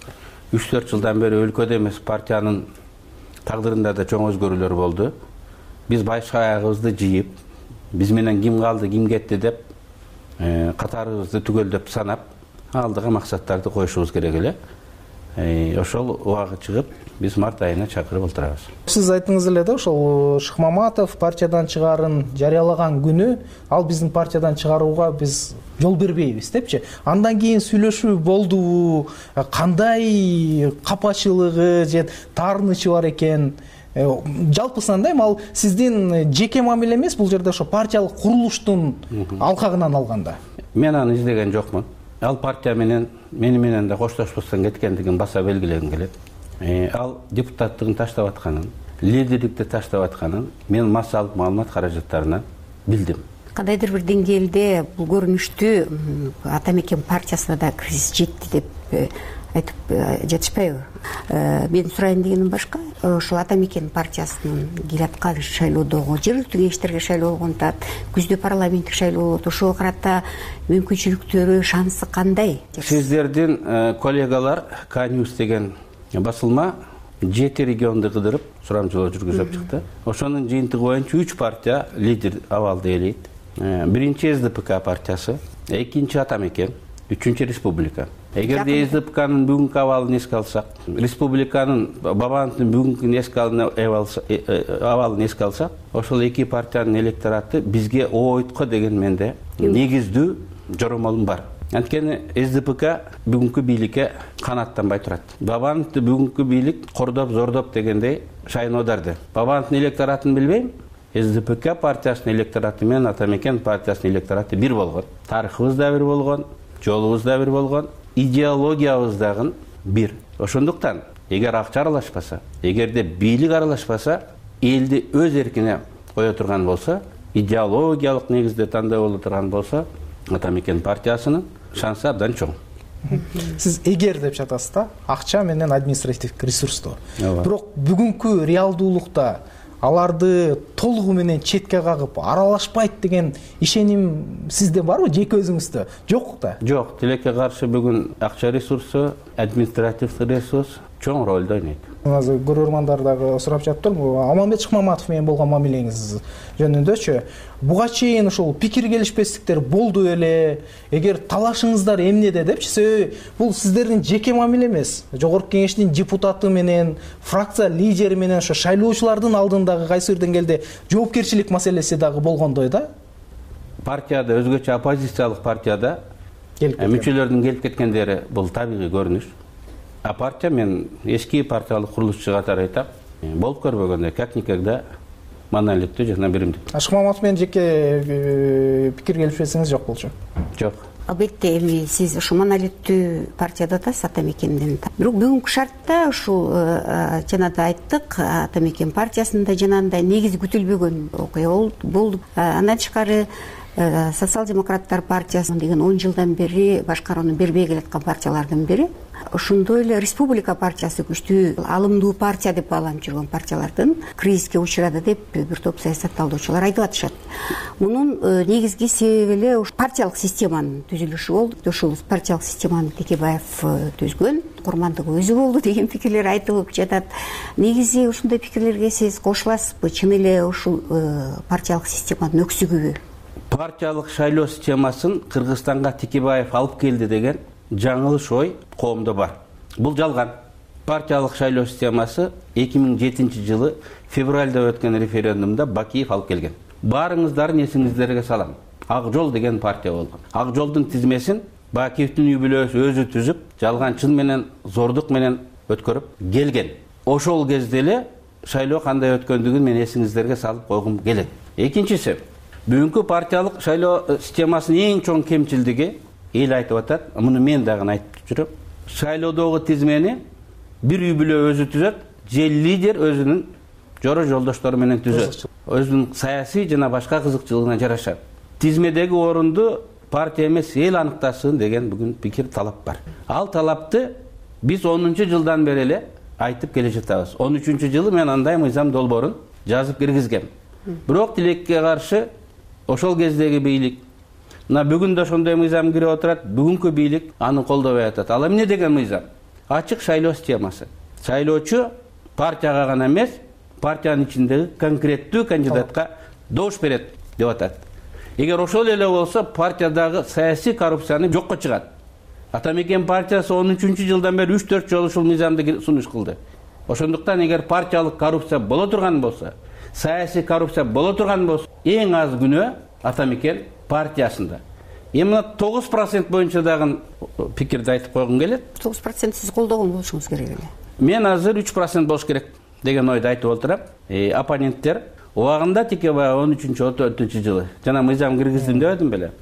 3-4 жылдан бери өлкөдө эмес партиянын тагдырында да чоң өзгөрүүлөр болду. Биз баш аягыбызды жыйып, биз менен ким калды, ким кетти деп катарыбызды түгөлдөп санап, алдыга максаттарды коюшубуз керек эле. Ошол убагы чыгып, биз март айына чакырып отурабыз. Сиз айттыңыз эле да, ошол Шыкмаматов партиядан чыгаарын жарыялаган күнү, ал биздин партиядан чыгарууга биз жол бербейбиз депчи. Андан кийин сүйлөшүү болдубу, кандай капачылыгы же таарынычы бар экен? Жалпысынан ал сиздин жеке мамиле эмес, бул жерде ошо партиялык курулуштун алкагынан алганда. Мен аны издеген жокмун. Ал партия менен мени менен да коштошпостон кеткендигин баса белгилегим келет. Ал депутаттыгын таштап атканын, лидерликти таштап атканын мен массалык маалымат каражаттарынан билдим. Кандайдыр бир деңгээлде бул көрүнүштүү Ата Мекен партиясына да кризис жетти деп айтып жатышпайбы? Мен сурайын дегеним башка. Ошол Ата Мекен партиясынын келаткан шайлоодогу жергиликтүү кеңештерге шайлоо болгондо күздө парламенттик шайлоо болот. Ошого карата мүмкүнчүлүктөрү, шансы кандай? Сиздердин коллегалар Канюс деген басылма 7 регионду кыдырып сурамжылоо жүргүзүп чыкты. Ошонун жыйынтыгы боюнча 3 партия лидер абалды ээлейт. Биринчи СДПК партиясы, экинчи Ата Мекен, үчүнчү Республика. эгерде СДПКнын бүгүнкү абалын эске алсак, республиканын Бабановдун бүгүнкү абалын эске алсак, ошол эки партиянын электораты бизге ойтко деген менде негиздүү жоромолум бар. Анткени СДПК бүгүнкү бийликке канаттанбай турат. Бабановду бүгүнкү бийлик кордоп, зордоп дегендей шайын оодарды. Бабановдун электоратын билбейм. СДПК партиясынын электораты менен Атамекен партиясынын электораты бир болгон. Тарыхыбыз да бир болгон, жолубуз да бир болгон, идеологиябыз дагы бир. Ошондуктан, эгер акча аралашпаса, эгерде бийлик аралашпаса, элди өз эркине кое турган болсо, идеологиялык негизде тандоо боло турган болсо, Атамекен партиясынын шансы абдан чоң. Сиз эгер деп жатасыз да, акча менен административдик ресурсту. Бирок бүгүнкү реалдуулукта аларды толугу менен четке кагып аралашпайт деген ишеним сизде барбы, жеке өзүңүздө? Жок да? Жок, тилекке каршы бүгүн акча ресурсу, административдик ресурс чоң ролду ойнойт. Азыр көрөрмандар дагы сурап жатыптыр, Аманбет Шыкмаматов менен болгон мамилеңиз жөнүндөчү. Буга чейин ушул пикир келишпестиктер болду эле, эгер талашыңыздар эмнеде депчи, себеби бул сиздердин жеке мамиле эмес. Жогорку кеңештин депутаты менен, фракция лидери менен ошо шайлоочулардын алдындагы кайсы бир деңгээлде жоопкерчилик маселеси дагы болгондой да. Партияда, өзгөчө оппозициялык партияда мүчөлөрдүн келип кеткендери бул табигый көрүнүш. А партия, мен эски партиялык курулушчу катары айтам, болуп көрбөгөндө как никогда монолиттүү жана биримдик. Шыкмаматов менен жеке пикир келишпесиңиз жок болчу? Жок. Албетте, эми сиз ушу монолиттүү партияда атасыз, Атамекенден. Бирок бүгүнкү шартта ушул жана да айттык, Атамекен партиясында жанагындай негизи күтүлбөгөн окуя болду. Андан тышкары социал-демократтар партиясы деген 10 жылдан бери башкарууну бербей келаткан партиялардын бири. Ошондой эле республика партиясы күчтүү, алымдуу партия деп бааланып жүргөн партиялардын кризиске учурады деп бир топ саясатталуучулар айтып атышат. Мунун негизги себеби эле партиялык системанын түзүлүшү болду. Ушул партиялык системаны Текебаев түзгөн, курмандыгы өзү болду деген пикирлер айтылып жатат. Негизи ушундай пикирлерге сиз кошуласызбы? Чын эле ушул партиялык системанын өксүгүбү? Партиялык шайлоо системасын Кыргызстанга Текебаев алып келди деген жаңылыш ой коомдо бар. Бул жалган. Партиялык шайлоо системасы 2007 жылы февралда өткөн референдумда Бакиев алып келген. Баарыңыздардын эсиңиздерге салам. Ак жол деген партия болгон. Ак жолдун тизмесин Бакиевдин үй бүлөсү өзү түзүп, жалганчылык менен, зордук менен өткөрүп келген. Ошол кезде эле шайлоо кандай өткөндүгүн мен эсиңиздерге салып койгум келет. Экинчиси, бүгүнкү партиялык шайлоо системасынын эң чоң кемчилдиги эл айтып атат, муну мен дагы айтып жүрөм. Шайлоодогу тизмени бир үй бүлө өзү түзөт, же лидер өзүнүн жора жолдоштору менен түзөт. Өзүнүн саясий жана башка кызыкчылыгына жараша. Тизмедеги орунду партия эмес, эл аныктасын деген бүгүн пикир, талап бар. Ал талапты биз 10 жылдан бери эле айтып келе жатабыз. 13 жылы мен андай мыйзам долбоорун жазып киргизгем. Бирок тилекке каршы ошол кездеги бийлик бүгүн да ошондой мыйзам кирип отурат, бүгүнкү бийлик аны колдобой атат. Ал эмне деген мыйзам? Ачык шайлоо системасы. Шайлоочу партияга гана эмес, партиянын ичиндеги конкреттүү кандидатка добуш берет деп атат. Эгер ошол эле болсо, партиядагы саясий коррупцияны жокко чыгат. Атамекен партиясы 13 жылдан бери 3-4 жолу ушул мыйзамды сунуш кылды. Ошондуктан эгер партиялык коррупция боло турган болсо, саясий коррупция боло турган болсо, эң аз күнөө Атамекен партиясында. Эми 9% боюнча дагы пикирди айтып койгум келет. 9% сиз колдогон болушуңуз керек эле. Мен азыр 3% болуш керек деген ойду айтып отурам. Оппоненттер убагында Текебаев 13-14 жылы жана мыйзам киргиздим дебедим беле.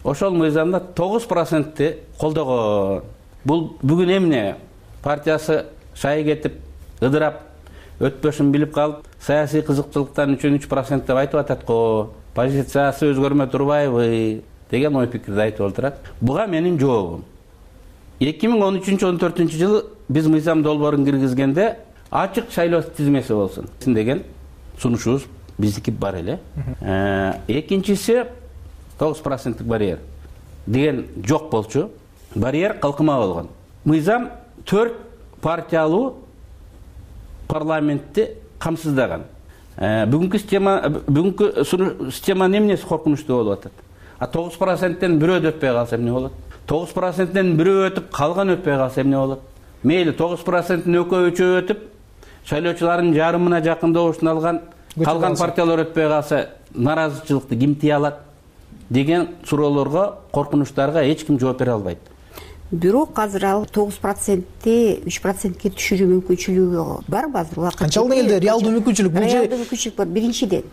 Ошол мыйзамда 9% колдогон. Бул бүгүн эмне? Партиясы шай кетип, ыдырап, өтпөшүн билип калып, саясий кызыкчылыктан үчүн 3% деп айтып атат го. Позициясы өзгөрмөй турбайбы деген ой пикирди айтып отурат. Буга менин жообум. 2013-14 жылы биз мыйзам долбоорун киргизгенде ачык шайлоо тизмеси болсун деген сунушубуз биздики бар эле. Экинчиси 9% барьер деген жок болчу. Барьер калкыма болгон. Мыйзам 4 партиялуу парламентти камсыздаган. Бүгүнкү системанын эмнеси коркунучтуу болуп атат? 9%тен бирөө өтпөй калса эмне болот? 9%-тен бирөө өтүп, калган өтпөй калса эмне болот? Мейли 9%-тин экөө үчөө өтүп, шайлоочулардын жарымына жакын добушун алган, калган партиялар өтпөй калса, наразычылыкты ким тие алат деген суроолорго, коркунучтарга эч ким жооп бере албайт. Бирок азыр ал 9%-ти 3%-ке түшүрүү мүмкүнчүлүгү барбы азыр? Канчалык элде реалдуу мүмкүнчүлүк? Бул реалдуу мүмкүнчүлүк бар биринчиден.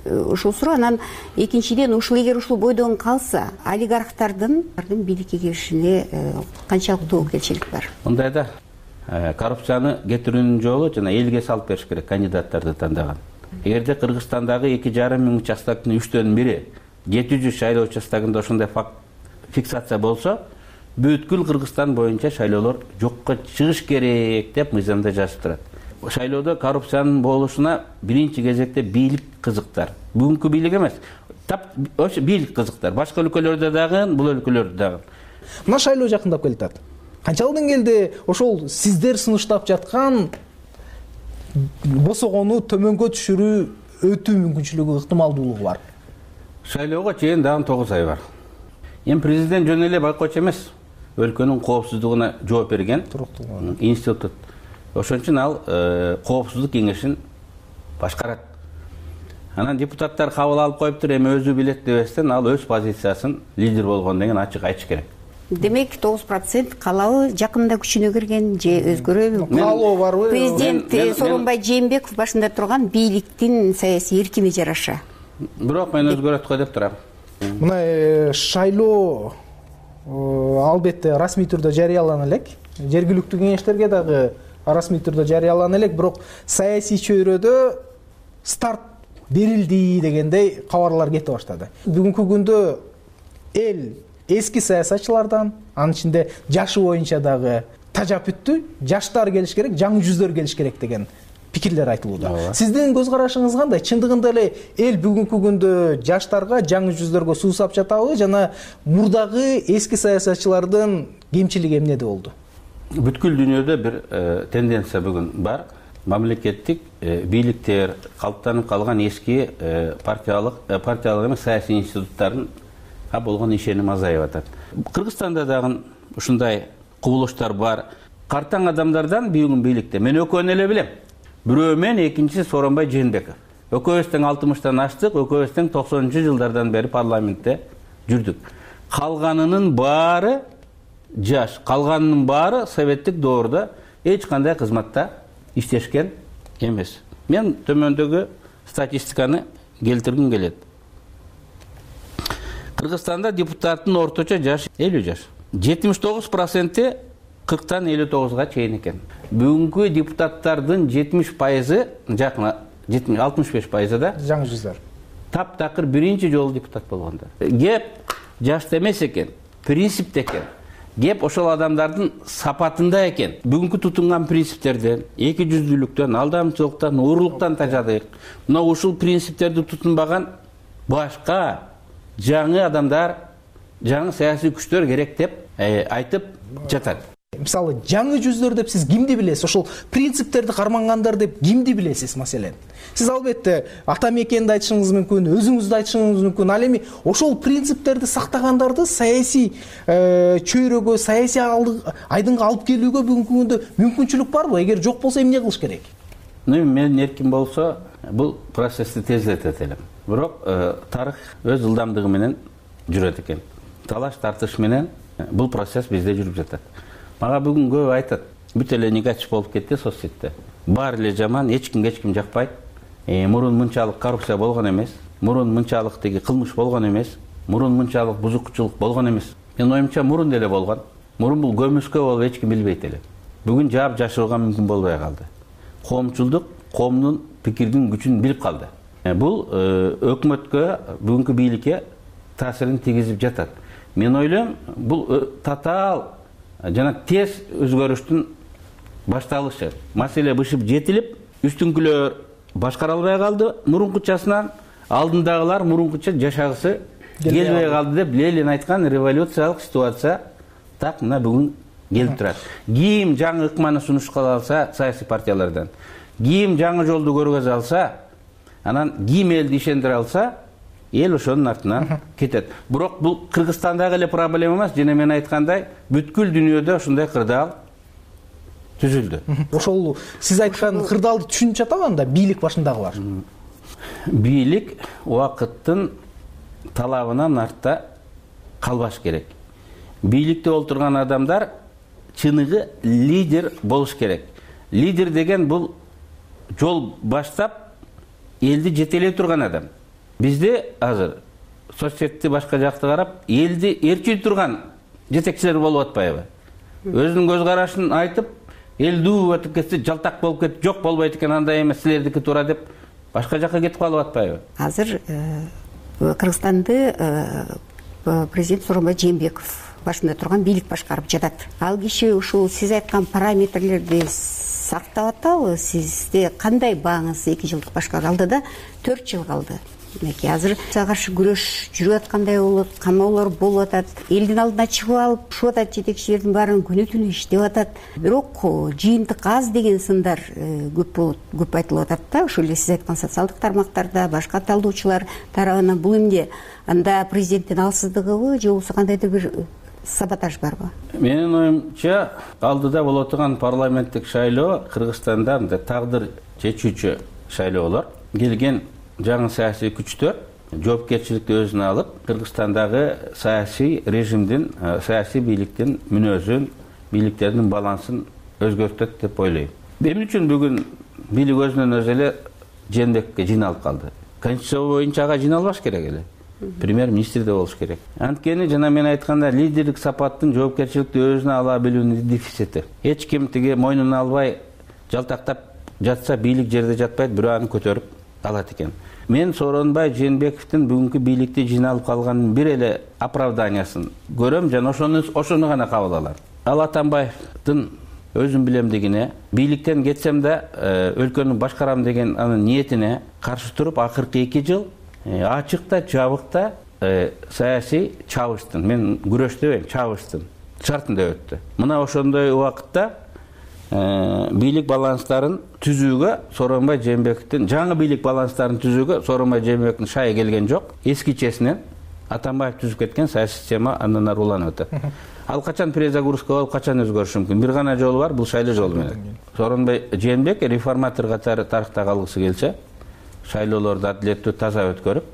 Ушул суроо, анан экинчиден ушул эгер ушул бойдон калса, олигархтардын бийликке киришине канчалык тобокелчилик бар? Мындайда коррупцияны кетирүүнүн жолу жана элге салып бериш керек кандидаттарды тандаган. Эгерде Кыргызстандагы 2,5 миң участоктун 3/4 700 шайлоо участогунда ошондой факт фиксация болсо, бүткүл Кыргызстан боюнча шайлоолор жокко чыгыш керек деп мыйзамда жазып турат. Шайлоодо коррупциянын болушуна биринчи кезекте бийлик кызыктар. Бүгүнкү бийлик эмес, ошо бийлик кызыктар. Башка өлкөлөрдө дагы, бул өлкөлөрдө дагы. Мына шайлоо жакындап келатат. Канчалык деңгээлде ошол сиздер сунуштап жаткан босогону төмөнгө түшүрүү өтүү мүмкүнчүлүгү ыктымалдуулугу бар? Шайлоого чейин дагы 9 ай бар. Эми президент жөн эле байкоочу эмес, өлкөнүн коопсуздугуна жооп берген институт. Ошон үчүн ал коопсуздук кеңешин башкарат. Анан депутаттар кабыл алып коюптур, эми өзү билет дебестен ал өз позициясын лидер болгон деген ачык айтыш керек. Демек 9% калабы жакында күчүнө кирген же өзгөрөбү? Калоо барбы? Президент Сооронбай Жээнбеков башында турган бийликтин саясий эркине жараша. Бирок мен өзгөрөт го деп турам. Мына шайлоо албетте расмий түрдө жарыялана элек. Жергиликтүү кеңештерге дагы расмий түрдө жарыялана элек, бирок саясий чөйрөдө старт берилди дегендей кабарлар кете баштады. Бүгүнкү күндө эл эски саясатчылардан, анын ичинде жашы боюнча дагы тажап бүттү, жаштар келиш керек, жаңы жүздөр келиш керек деген пикирлер айтылууда. Сиздин көз карашыңыз кандай? Чындыгында эле эл бүгүнкү күндө жаштарга, жаңы жүздөргө суусап жатабы жана мурдагы эски саясатчылардын кемчилиги эмнеде болду? Бүткүл дүйнөдө бир тенденция бүгүн бар. Мамлекеттик бийликтер, калыптанып калган эски партиялык эмес саясий институттардын болгон ишеним азайып атат. Кыргызстанда дагы ушундай кубулуштар бар. Картаң адамдардан бүгүн бийликте мен экөөнү эле билем. Бирөө мен, экинчиси Сооронбай Жээнбеков. Экөөбүз тең 60-тан аштык, экөөбүз тең 90-жылдардан бери парламентте жүрдүк. Калганынын баары жаш, калганынын баары советтик доордо эч кандай кызматта иштешкен эмес. Мен төмөндөгү статистиканы келтиргим келет. Кыргызстанда депутаттын орточо жашы 50 жаш. 79% 40-тан 59-га чейин экен. Бүгүнкү депутаттардын 70%, жакына 65% да жаңы жүздөр. Таптакыр биринчи жолу депутат болгондар. Кеп жашта эмес экен, принципте экен. Кеп ошол адамдардын сапатында экен. Бүгүнкү тутунган принциптерден, эки жүздүүлүктөн, алдамчылыктан, уурлуктан тажадык. Мына ушул принциптерди тутунбаган башка жаңы адамдар, жаңы саясий күчтөр керек деп айтып жатат. Мисалы, жаңы жүздөр деп сиз кимди билесиз? Ошол принциптерди кармангандар деп кимди билесиз, маселен? Сиз албетте ата мекенди айтышыңыз мүмкүн, өзүңүздү айтышыңыз мүмкүн. Ал эми ошол принциптерди сактагандарды саясий чөйрөгө, саясий айдынга алып келүүгө бүгүнкү күндө мүмкүнчүлүк барбы? Эгер жок болсо эмне кылыш керек? Мен эркин болсо, бул процессти тездетет элем. Бирок тарых өз ылдамдыгы менен жүрөт экен. Талаш тартыш менен бул процесс бизде жүрүп жатат. Мага бүгүн көп айтат, бүт эле негатив болуп кетти соцсетте. Баары эле жаман, эч ким жакпайт. Мурун мынчалык коррупция болгон эмес, мурун мынчалык теги кылмыш болгон эмес, мурун мынчалык бузукчулук болгон эмес. Мен оюмча мурун деле болгон. Мурун бул көмүскө болуп эч ким билбейт эле. Бүгүн жаап жашырууга мүмкүн болбой калды. Коомчулдук коомдун пикирдин күчүн билип калды. Бул өкмөткө, бүгүнкү бийликке таасирин тийгизип жатат. Мен ойлойм, бул татаал жана тез өзгөрүштүн башталышы. Маселе бышып жетилип, үстүңкүлөр башкара албай калды мурункучасынан, алдындагылар мурункуча жашагысы келбей калды деп Ленин айткан революциялык ситуация так мына бүгүн келип турат. Ким жаңы ыкманы сунушка алса саясий партиялардан, ким жаңы жолду көргөзө алса, анан ким элди ишендире алса, эл ошонун артынан кетет. Бирок бул Кыргызстандагы эле проблема эмес, жана мен айткандай бүткүл дүйнөдө ушундай кырдаал түзүлдү. Ошол сиз айткан кырдаалды түшүнүп жатабы анда бийлик башындагылар? Бийлик убакыттын талабынан артта калбаш керек. Бийликте олтурган адамдар чыныгы лидер болуш керек. Лидер деген бул жол баштап элди жетелей турган адам. Бизде азыр соцсетти башка жакты карап, элди ээрчий турган жетекчилер болуп атпайбы? Өзүнүн көз карашын айтып, эл дуу өтүп кетсе, жалтак болуп кетип, жок болбойт экен, андай эмес, силердики туура деп башка жакка кетип калып атпайбы? Азыр Кыргызстанды президент Сооронбай Жээнбеков башында турган бийлик башкарып жатат. Ал киши ушул сиз айткан параметрлерди сактап атабы? Сизде кандай бааңыз 2 жылдык башкаруу? Алдыда 4 жыл калды. Демек азыр каршы күрөш жүрүп аткандай болот, камоолор болуп атат, элдин алдына чыгып алып ушуп атат, жетекчилердин баарын күнү түнү иштеп атат. Бирок жыйынтык аз деген сындар көп айтылып атат да. Ошол эле сиз айткан социалдык тармактарда башка талдоочулар тарабынан бул эмне анда президенттин алсыздыгыбы же болбосо кандайдыр бир саботаж барбы? Менин оюмча, алдыда боло турган парламенттик шайлоо Кыргызстанда тагдыр чечүүчү шайлоолор. Келген жаңы саясий күчтөр жоопкерчиликти өзүнө алып, Кыргызстандагы саясий режимдин, саясий бийликтин мүнөзүн, бийликтердин балансын өзгөртөт деп ойлойм. Эмне үчүн бүгүн бийлик өзүнөн өзү эле Жээнбековго жыйналып калды? Конституция боюнча ага жыйналбаш керек эле. Премьер-министр да болуш керек. Анткени жана мен айтканда лидерлик сапаттын жоопкерчиликти өзүнө ала билүүнүн дефицити. Эч ким тиги мойнуна албай жалтактап жатса, бийлик жерде жатпайт, бирөө аны көтөрүп алат экен. Мен Сооронбай Жээнбековдун бүгүнкү бийликте жыйналып калганын бир эле оправданиясын көрөм жана ошону гана кабыл алам. Ал Атамбаевдин өзүм билемдигине, бийликтен кетсем да өлкөнү башкарам деген анын ниетине каршы туруп, акыркы 2 жыл ачыкта, жабыкта саясий чабыштын, мен күрөш дебейм, чабыштын шартында өттү. Мына ошондой убакытта бийлик баланстарын түзүүгө Сооронбай Жээнбековдун, жаңы бийлик баланстарын түзүүгө Сооронбай Жээнбековдун шайы келген жок. Эскичесинен Атамбаев түзүп кеткен саясий система андан ары уланып атат. Ал качан перезагрузка болуп, качан өзгөрүшү мүмкүн? Бир гана жолу бар, бул шайлоо жолу менен. Сооронбай Жээнбек реформатор катары тарыхта калгысы келсе, шайлоолорду адилеттүү, таза өткөрүп,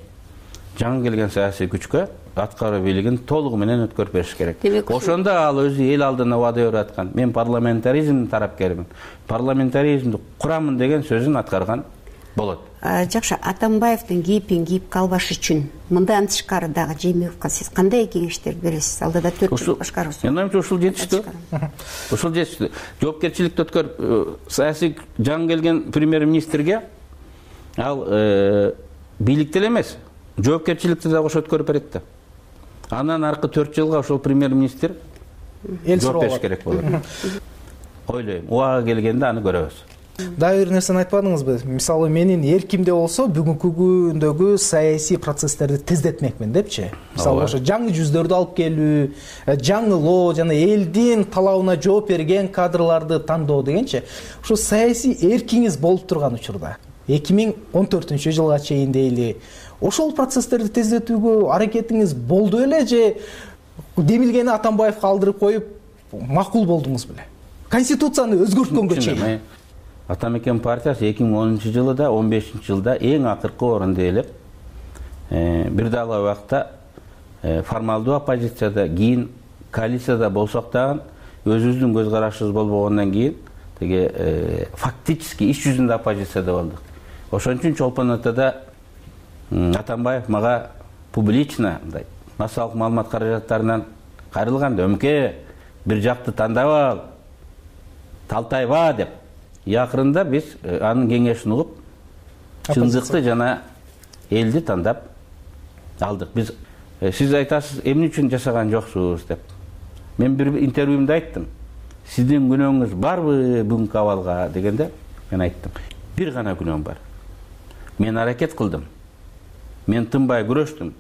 жаңы келген саясий күчкө аткаруу бийлигин толугу менен өткөрүп бериш керек. Ошондо ал өзү эл алдына убада берип аткан, мен парламентаризмдин тарапкермин, парламентаризмди курамын деген сөзүн аткарган болот. Жакшы, Атамбаевдин кейипин кийип калбаш үчүн мындан тышкары дагы Жээнбековго сиз кандай кеңештер бересиз? Алдыда 4 жыл башкаруусу. Менин оюмча ушул жетиштүү. Ушул жетиштүү. Жоопкерчиликти өткөрүп, саясий жаңы келген премьер-министрге ал бийликте эле эмес, жоопкерчиликти да кошо өткөрүп берет да. Андан аркы 4 жылга ошол премьер-министр жооп бериш керек болот. Ойлойм, убагы келгенде аны көрөбүз. Дагы бир нерсени айтпадыңызбы? Мисалы, менин эркимде болсо бүгүнкү күндөгү саясий процесстерди тездетмекмин депчи. Мисалы, ошо жаңы жүздөрдү алып келүү, жаңылоо жана элдин талабына жооп берген кадрларды тандоо дегенчи. Ошо саясий эркиңиз болуп турган учурда 2014-жылга чейин дейли, ошол процесстерди тездетүүгө аракетиңиз болду эле же демилгени Атамбаевге алдырып коюп макул болдуңуз беле? Конституцияны өзгөрткөнгө чейин. Атамекен партиясы 2010-жылы да, 15-жылда эң акыркы орунду ээлеп, бир дагы убакта формалдуу оппозицияда, кийин коалицияда болсок дагы өзүбүздүн көз карашыбыз болбогондон кийин теге фактически иш жүзүндө оппозицияда болдук. Ошон үчүн Чолпон Атада Атамбаев мага публично массалык маалымат каражаттарынан кайрылганда, өмке бир жакты тандап ал, талтайба деп. Акырында биз анын кеңешин угуп, чындыкты жана элди тандап алдык. Биз сиз айтасыз, эмне үчүн жашаган жоксуз деп. Мен бир интервьюмда айттым. Сиздин күнөөңүз барбы бүгүнкү абалга дегенде, мен айттым. Бир гана күнөөм бар. Мен аракет кылдым. Мен тынбай күрөштүм,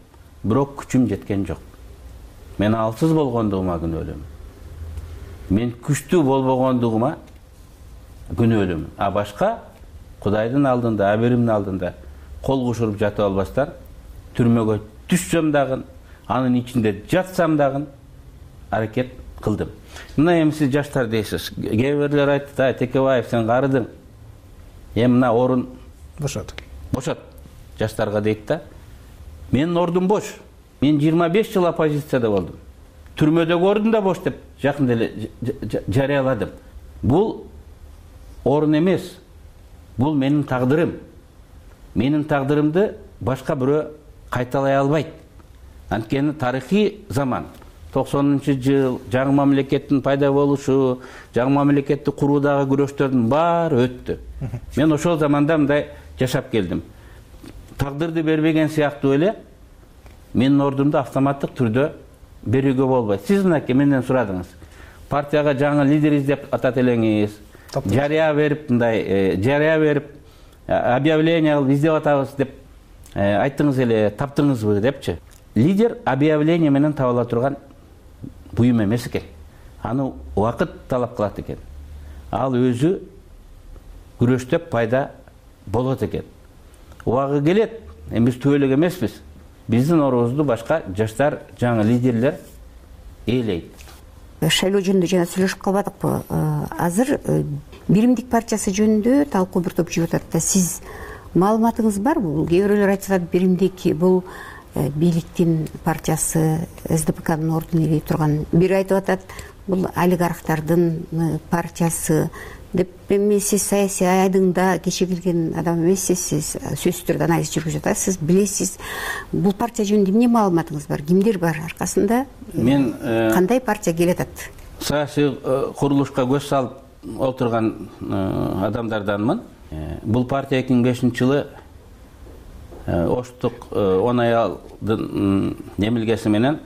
бирок күчүм жеткен жок. Мен алсыз болгондугума күнөөлөм. Мен күчтүү болбогондугума күнөөлөм. Башка Кудайдын алдында, аберимдин алдында кол кушуруп жатып албастан түрмөгө түшсөм дагы, анын ичинде жатсам дагы аракет кылдым. Мына эми сиз жаштар дейсиз. Кээ бирлер айтты, Текебаев сен карыдың. Мына орун бошот. Жаштарга дейт да. Менин ордум бош. Мен 25 жыл оппозицияда болдум. Түрмөдөгү ордум да бош деп жакында эле жарыяладым. Бул орун эмес. Бул менин тагдырым. Менин тагдырымды башка бирөө кайталай албайт. Анткени тарыхый заман 90-жыл жаңы мамлекеттин пайда болушу, жаңы мамлекетти куруудагы күрөштөрдүн баары өттү. Мен ошол заманда мындай жашап келдим. Тагдырды бербеген сыяктуу эле менин ордумду автоматтык түрдө берүүгө болбойт. Сиз мынакей менден сурадыңыз. Партияга жаңы лидер издеп атат элеңиз. Жарыя берип, объявление кылып издеп атабыз деп айттыңыз эле, таптыңызбы депчи. Лидер объявление менен табыла турган буюм эмес экен. Аны убакыт талап кылат экен. Ал өзү күрөштөп пайда болот экен. Убагы келет, биз түбөлүк эмеспиз. Биздин орубузду башка жаштар, жаңы лидерлер ээлейт. Шайлоо жөнүндө жана сүйлөшүп калбадыкпы? Азыр Биримдик партиясы жөнүндө талкуу бир топ жүрүп атат да. Сиз маалыматыңыз барбы? Кээ бирөөлөр айтышат, Биримдик бул бийликтин партиясы, СДПКнын ордун ээлей турган. Бири айтып атат, бул олигархтардын партиясы деп. Эми сиз саясий айдыңда кечигилген адам эмессиз, сиз сөзсүз түрдө анализ жүргүзүп атасыз, билесиз. Бул партия жөнүндө эмне маалыматыңыз бар? Кимдер бар аркасында? Мен кандай партия келет атат? Саясий курулушка көз салып отурган адамдарданмын. Бул партия 2005-жылы Оштук 10 аялдын немилгеси менен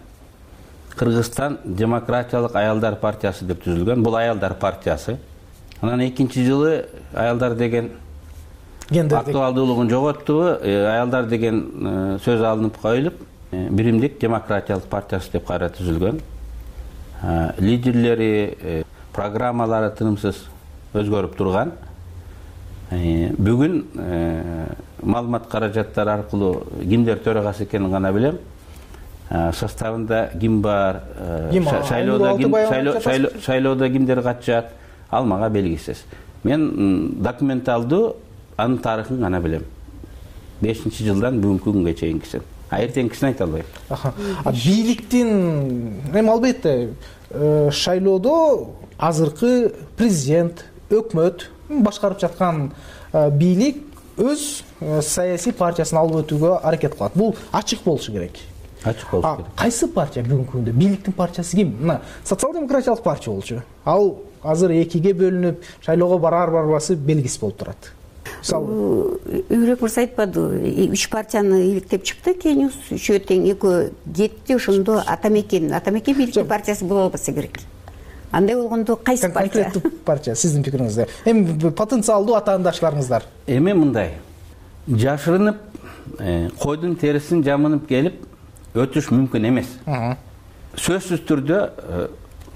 Кыргызстан демократиялык аялдар партиясы деп түзүлгөн. Бул аялдар партиясы. Анан 2-жылы аялдар деген актуалдуулугун жоготту. Аялдар деген сөз алынып коюлуп, Биримдик демократиялык партиясы деп кайра түзүлгөн. Лидерлери, программалары тынымсыз өзгөрүп турган. Бүгүн маалымат каражаттары аркылуу кимдер төрагасы экенин гана билем. Составында ким бар, шайлоодо кимдер катышат, ал мага белгисиз. Мен документалдуу анын тарыхын гана билем. 5-жылдан бүгүнкү күнгө чейинкисин. Эртеңкисин айта албайм. Бийликтин эми албетте шайлоодо азыркы президент, өкмөт башкарып жаткан бийлик өз саясий партиясын алып өтүүгө аракет кылат. Бул ачык болушу керек. Ачык болушу керек. Кайсы партия бүгүнкү күндө? Бийликтин партиясы ким? Мына социал-демократиялык партия болчу. Ал азыр экиге бөлүнүп, шайлоого барар-барбасы белгисиз болуп турат. Үйрөк мырза айтпады, 3 партияны иликтеп чыкты, кийин үчөө тең экөө кетти, ошондо Атамекен бийликтин партиясы боло албаса керек. Андай болгондо кайсы партия? Конкреттүү партия, сиздин пикириңизде. Эми потенциалдуу атаандашларыңыздар. Эми мындай, жашырынып, койдун терисин жамынып келип өтүш мүмкүн эмес. Сөзсүз түрдө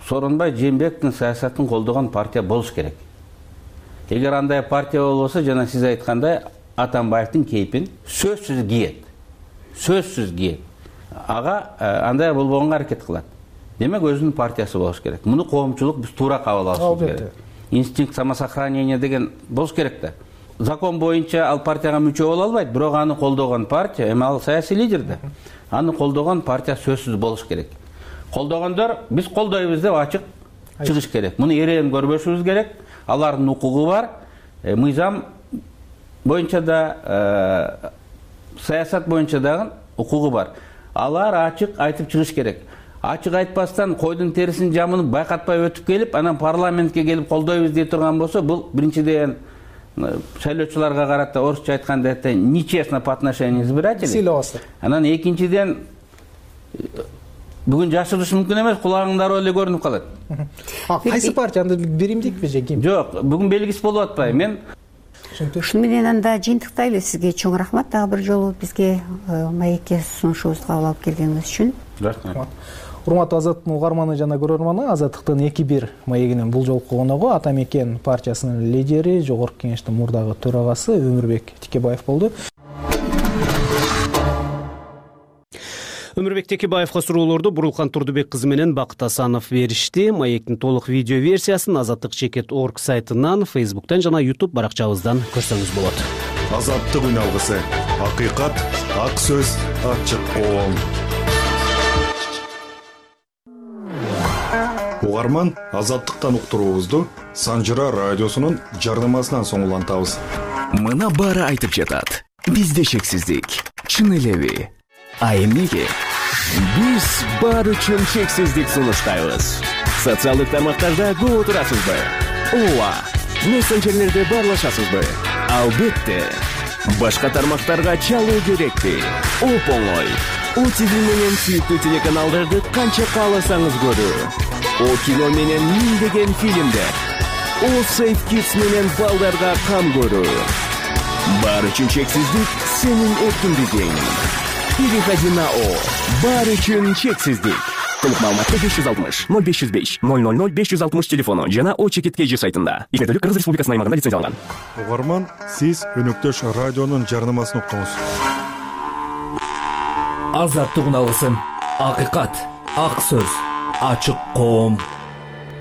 Сооронбай Жээнбековдун саясатын колдогон партия болуш керек. Эгер андай партия болбосо, жана сиз айткандай, Атамбаевдин кейпин сөзсүз кийет. Ага андай болбогонго аракет кылат. Демек өзүнүн партиясы болуш керек. Муну коомчулук биз туура кабыл алышыбыз керек. Инстинкт самосохранения деген болуш керек да. Закон боюнча ал партияга мүчө боло албайт, бирок аны колдогон партия, эми ал саясий лидер да. Аны колдогон партия сөзсүз болуш керек. Колдогондор биз колдойбуз деп ачык чыгыш керек. Муну эреен көрбөшүбүз керек. Алардын укугу бар. Мыйзам боюнча да, саясат боюнча дагы укугу бар. Алар ачык айтып чыгыш керек. Ачык айтпастан койдун терисин жамынып, байкатпай өтүп келип, анан парламентке келип колдойбуз дей турган болсо, бул биринчиден шайлоочуларга карата орусча айтканда нечестно по отношению к избирателям. Анан экинчиден бүгүн жашырыш мүмкүн эмес, кулагыңдар эле көрүнүп калат. Кайсы партия? Биримдикпи же ким? Жок, бүгүн белгисиз болуп атпайбы. Мен ушуну менен анда жыйынтыктайлы. Сизге чоң рахмат дагы бир жолу бизге маекке сунушубузду кабыл алып келгениңиз үчүн. Рахмат. Урматтуу Азаттыктын угарманы жана көрөрманы, Азаттыктын 2-1 маегинин бул жолку коногу Атамекен партиясынын лидери, Жогорку Кеңештин мурдагы төрагасы Өмүрбек Текебаев болду. Өмүрбек Текебаевга суроолорду Бурулкан Турдубек кызы менен Бакыт Асанов беришти. Маектин толук видео версиясын azatlyk.org сайтынан, Facebook'тан жана YouTube баракчабыздан көрсөңүз болот. Азаттык үн алгысы. Акыйкат, ак сөз, ачык коом. Угарман, азаттыктан уктуруубузду Санжыра радиосунун жарнамасынан соң улантабыз. Мына баары айтып жатат. Бизде шексиздик. Чын элеби? А эмнеге? Биз баары үчүн шексиздик сунуштайбыз. Социалдык тармактарда көп отурасызбы? Ооба. Мессенджерлерде баарлашасызбы? Албетте. Башка тармактарга чалуу керекпи? Оп-оңой. ОТВ менен сүйүктүү телеканалдарды канча кааласаңыз көрүү. О кино менен миңдеген фильмдер. О Safe Kids менен балдарга кам көрүү. Баары үчүн чексиздик сенин эркиндигиң. Переходи на О. Баары үчүн чексиздик. Толук маалыматты 560 0505 000 560 телефону жана O-Чекит.kg сайтында. Игердүүлүк Кыргыз Республикасынын аймагында лицензияланган. Угарман, сиз өнөктөш радионун жарнамасын уктуңуз. Азаттык үн алгысын. Акыйкат, ак сөз, ачык коом.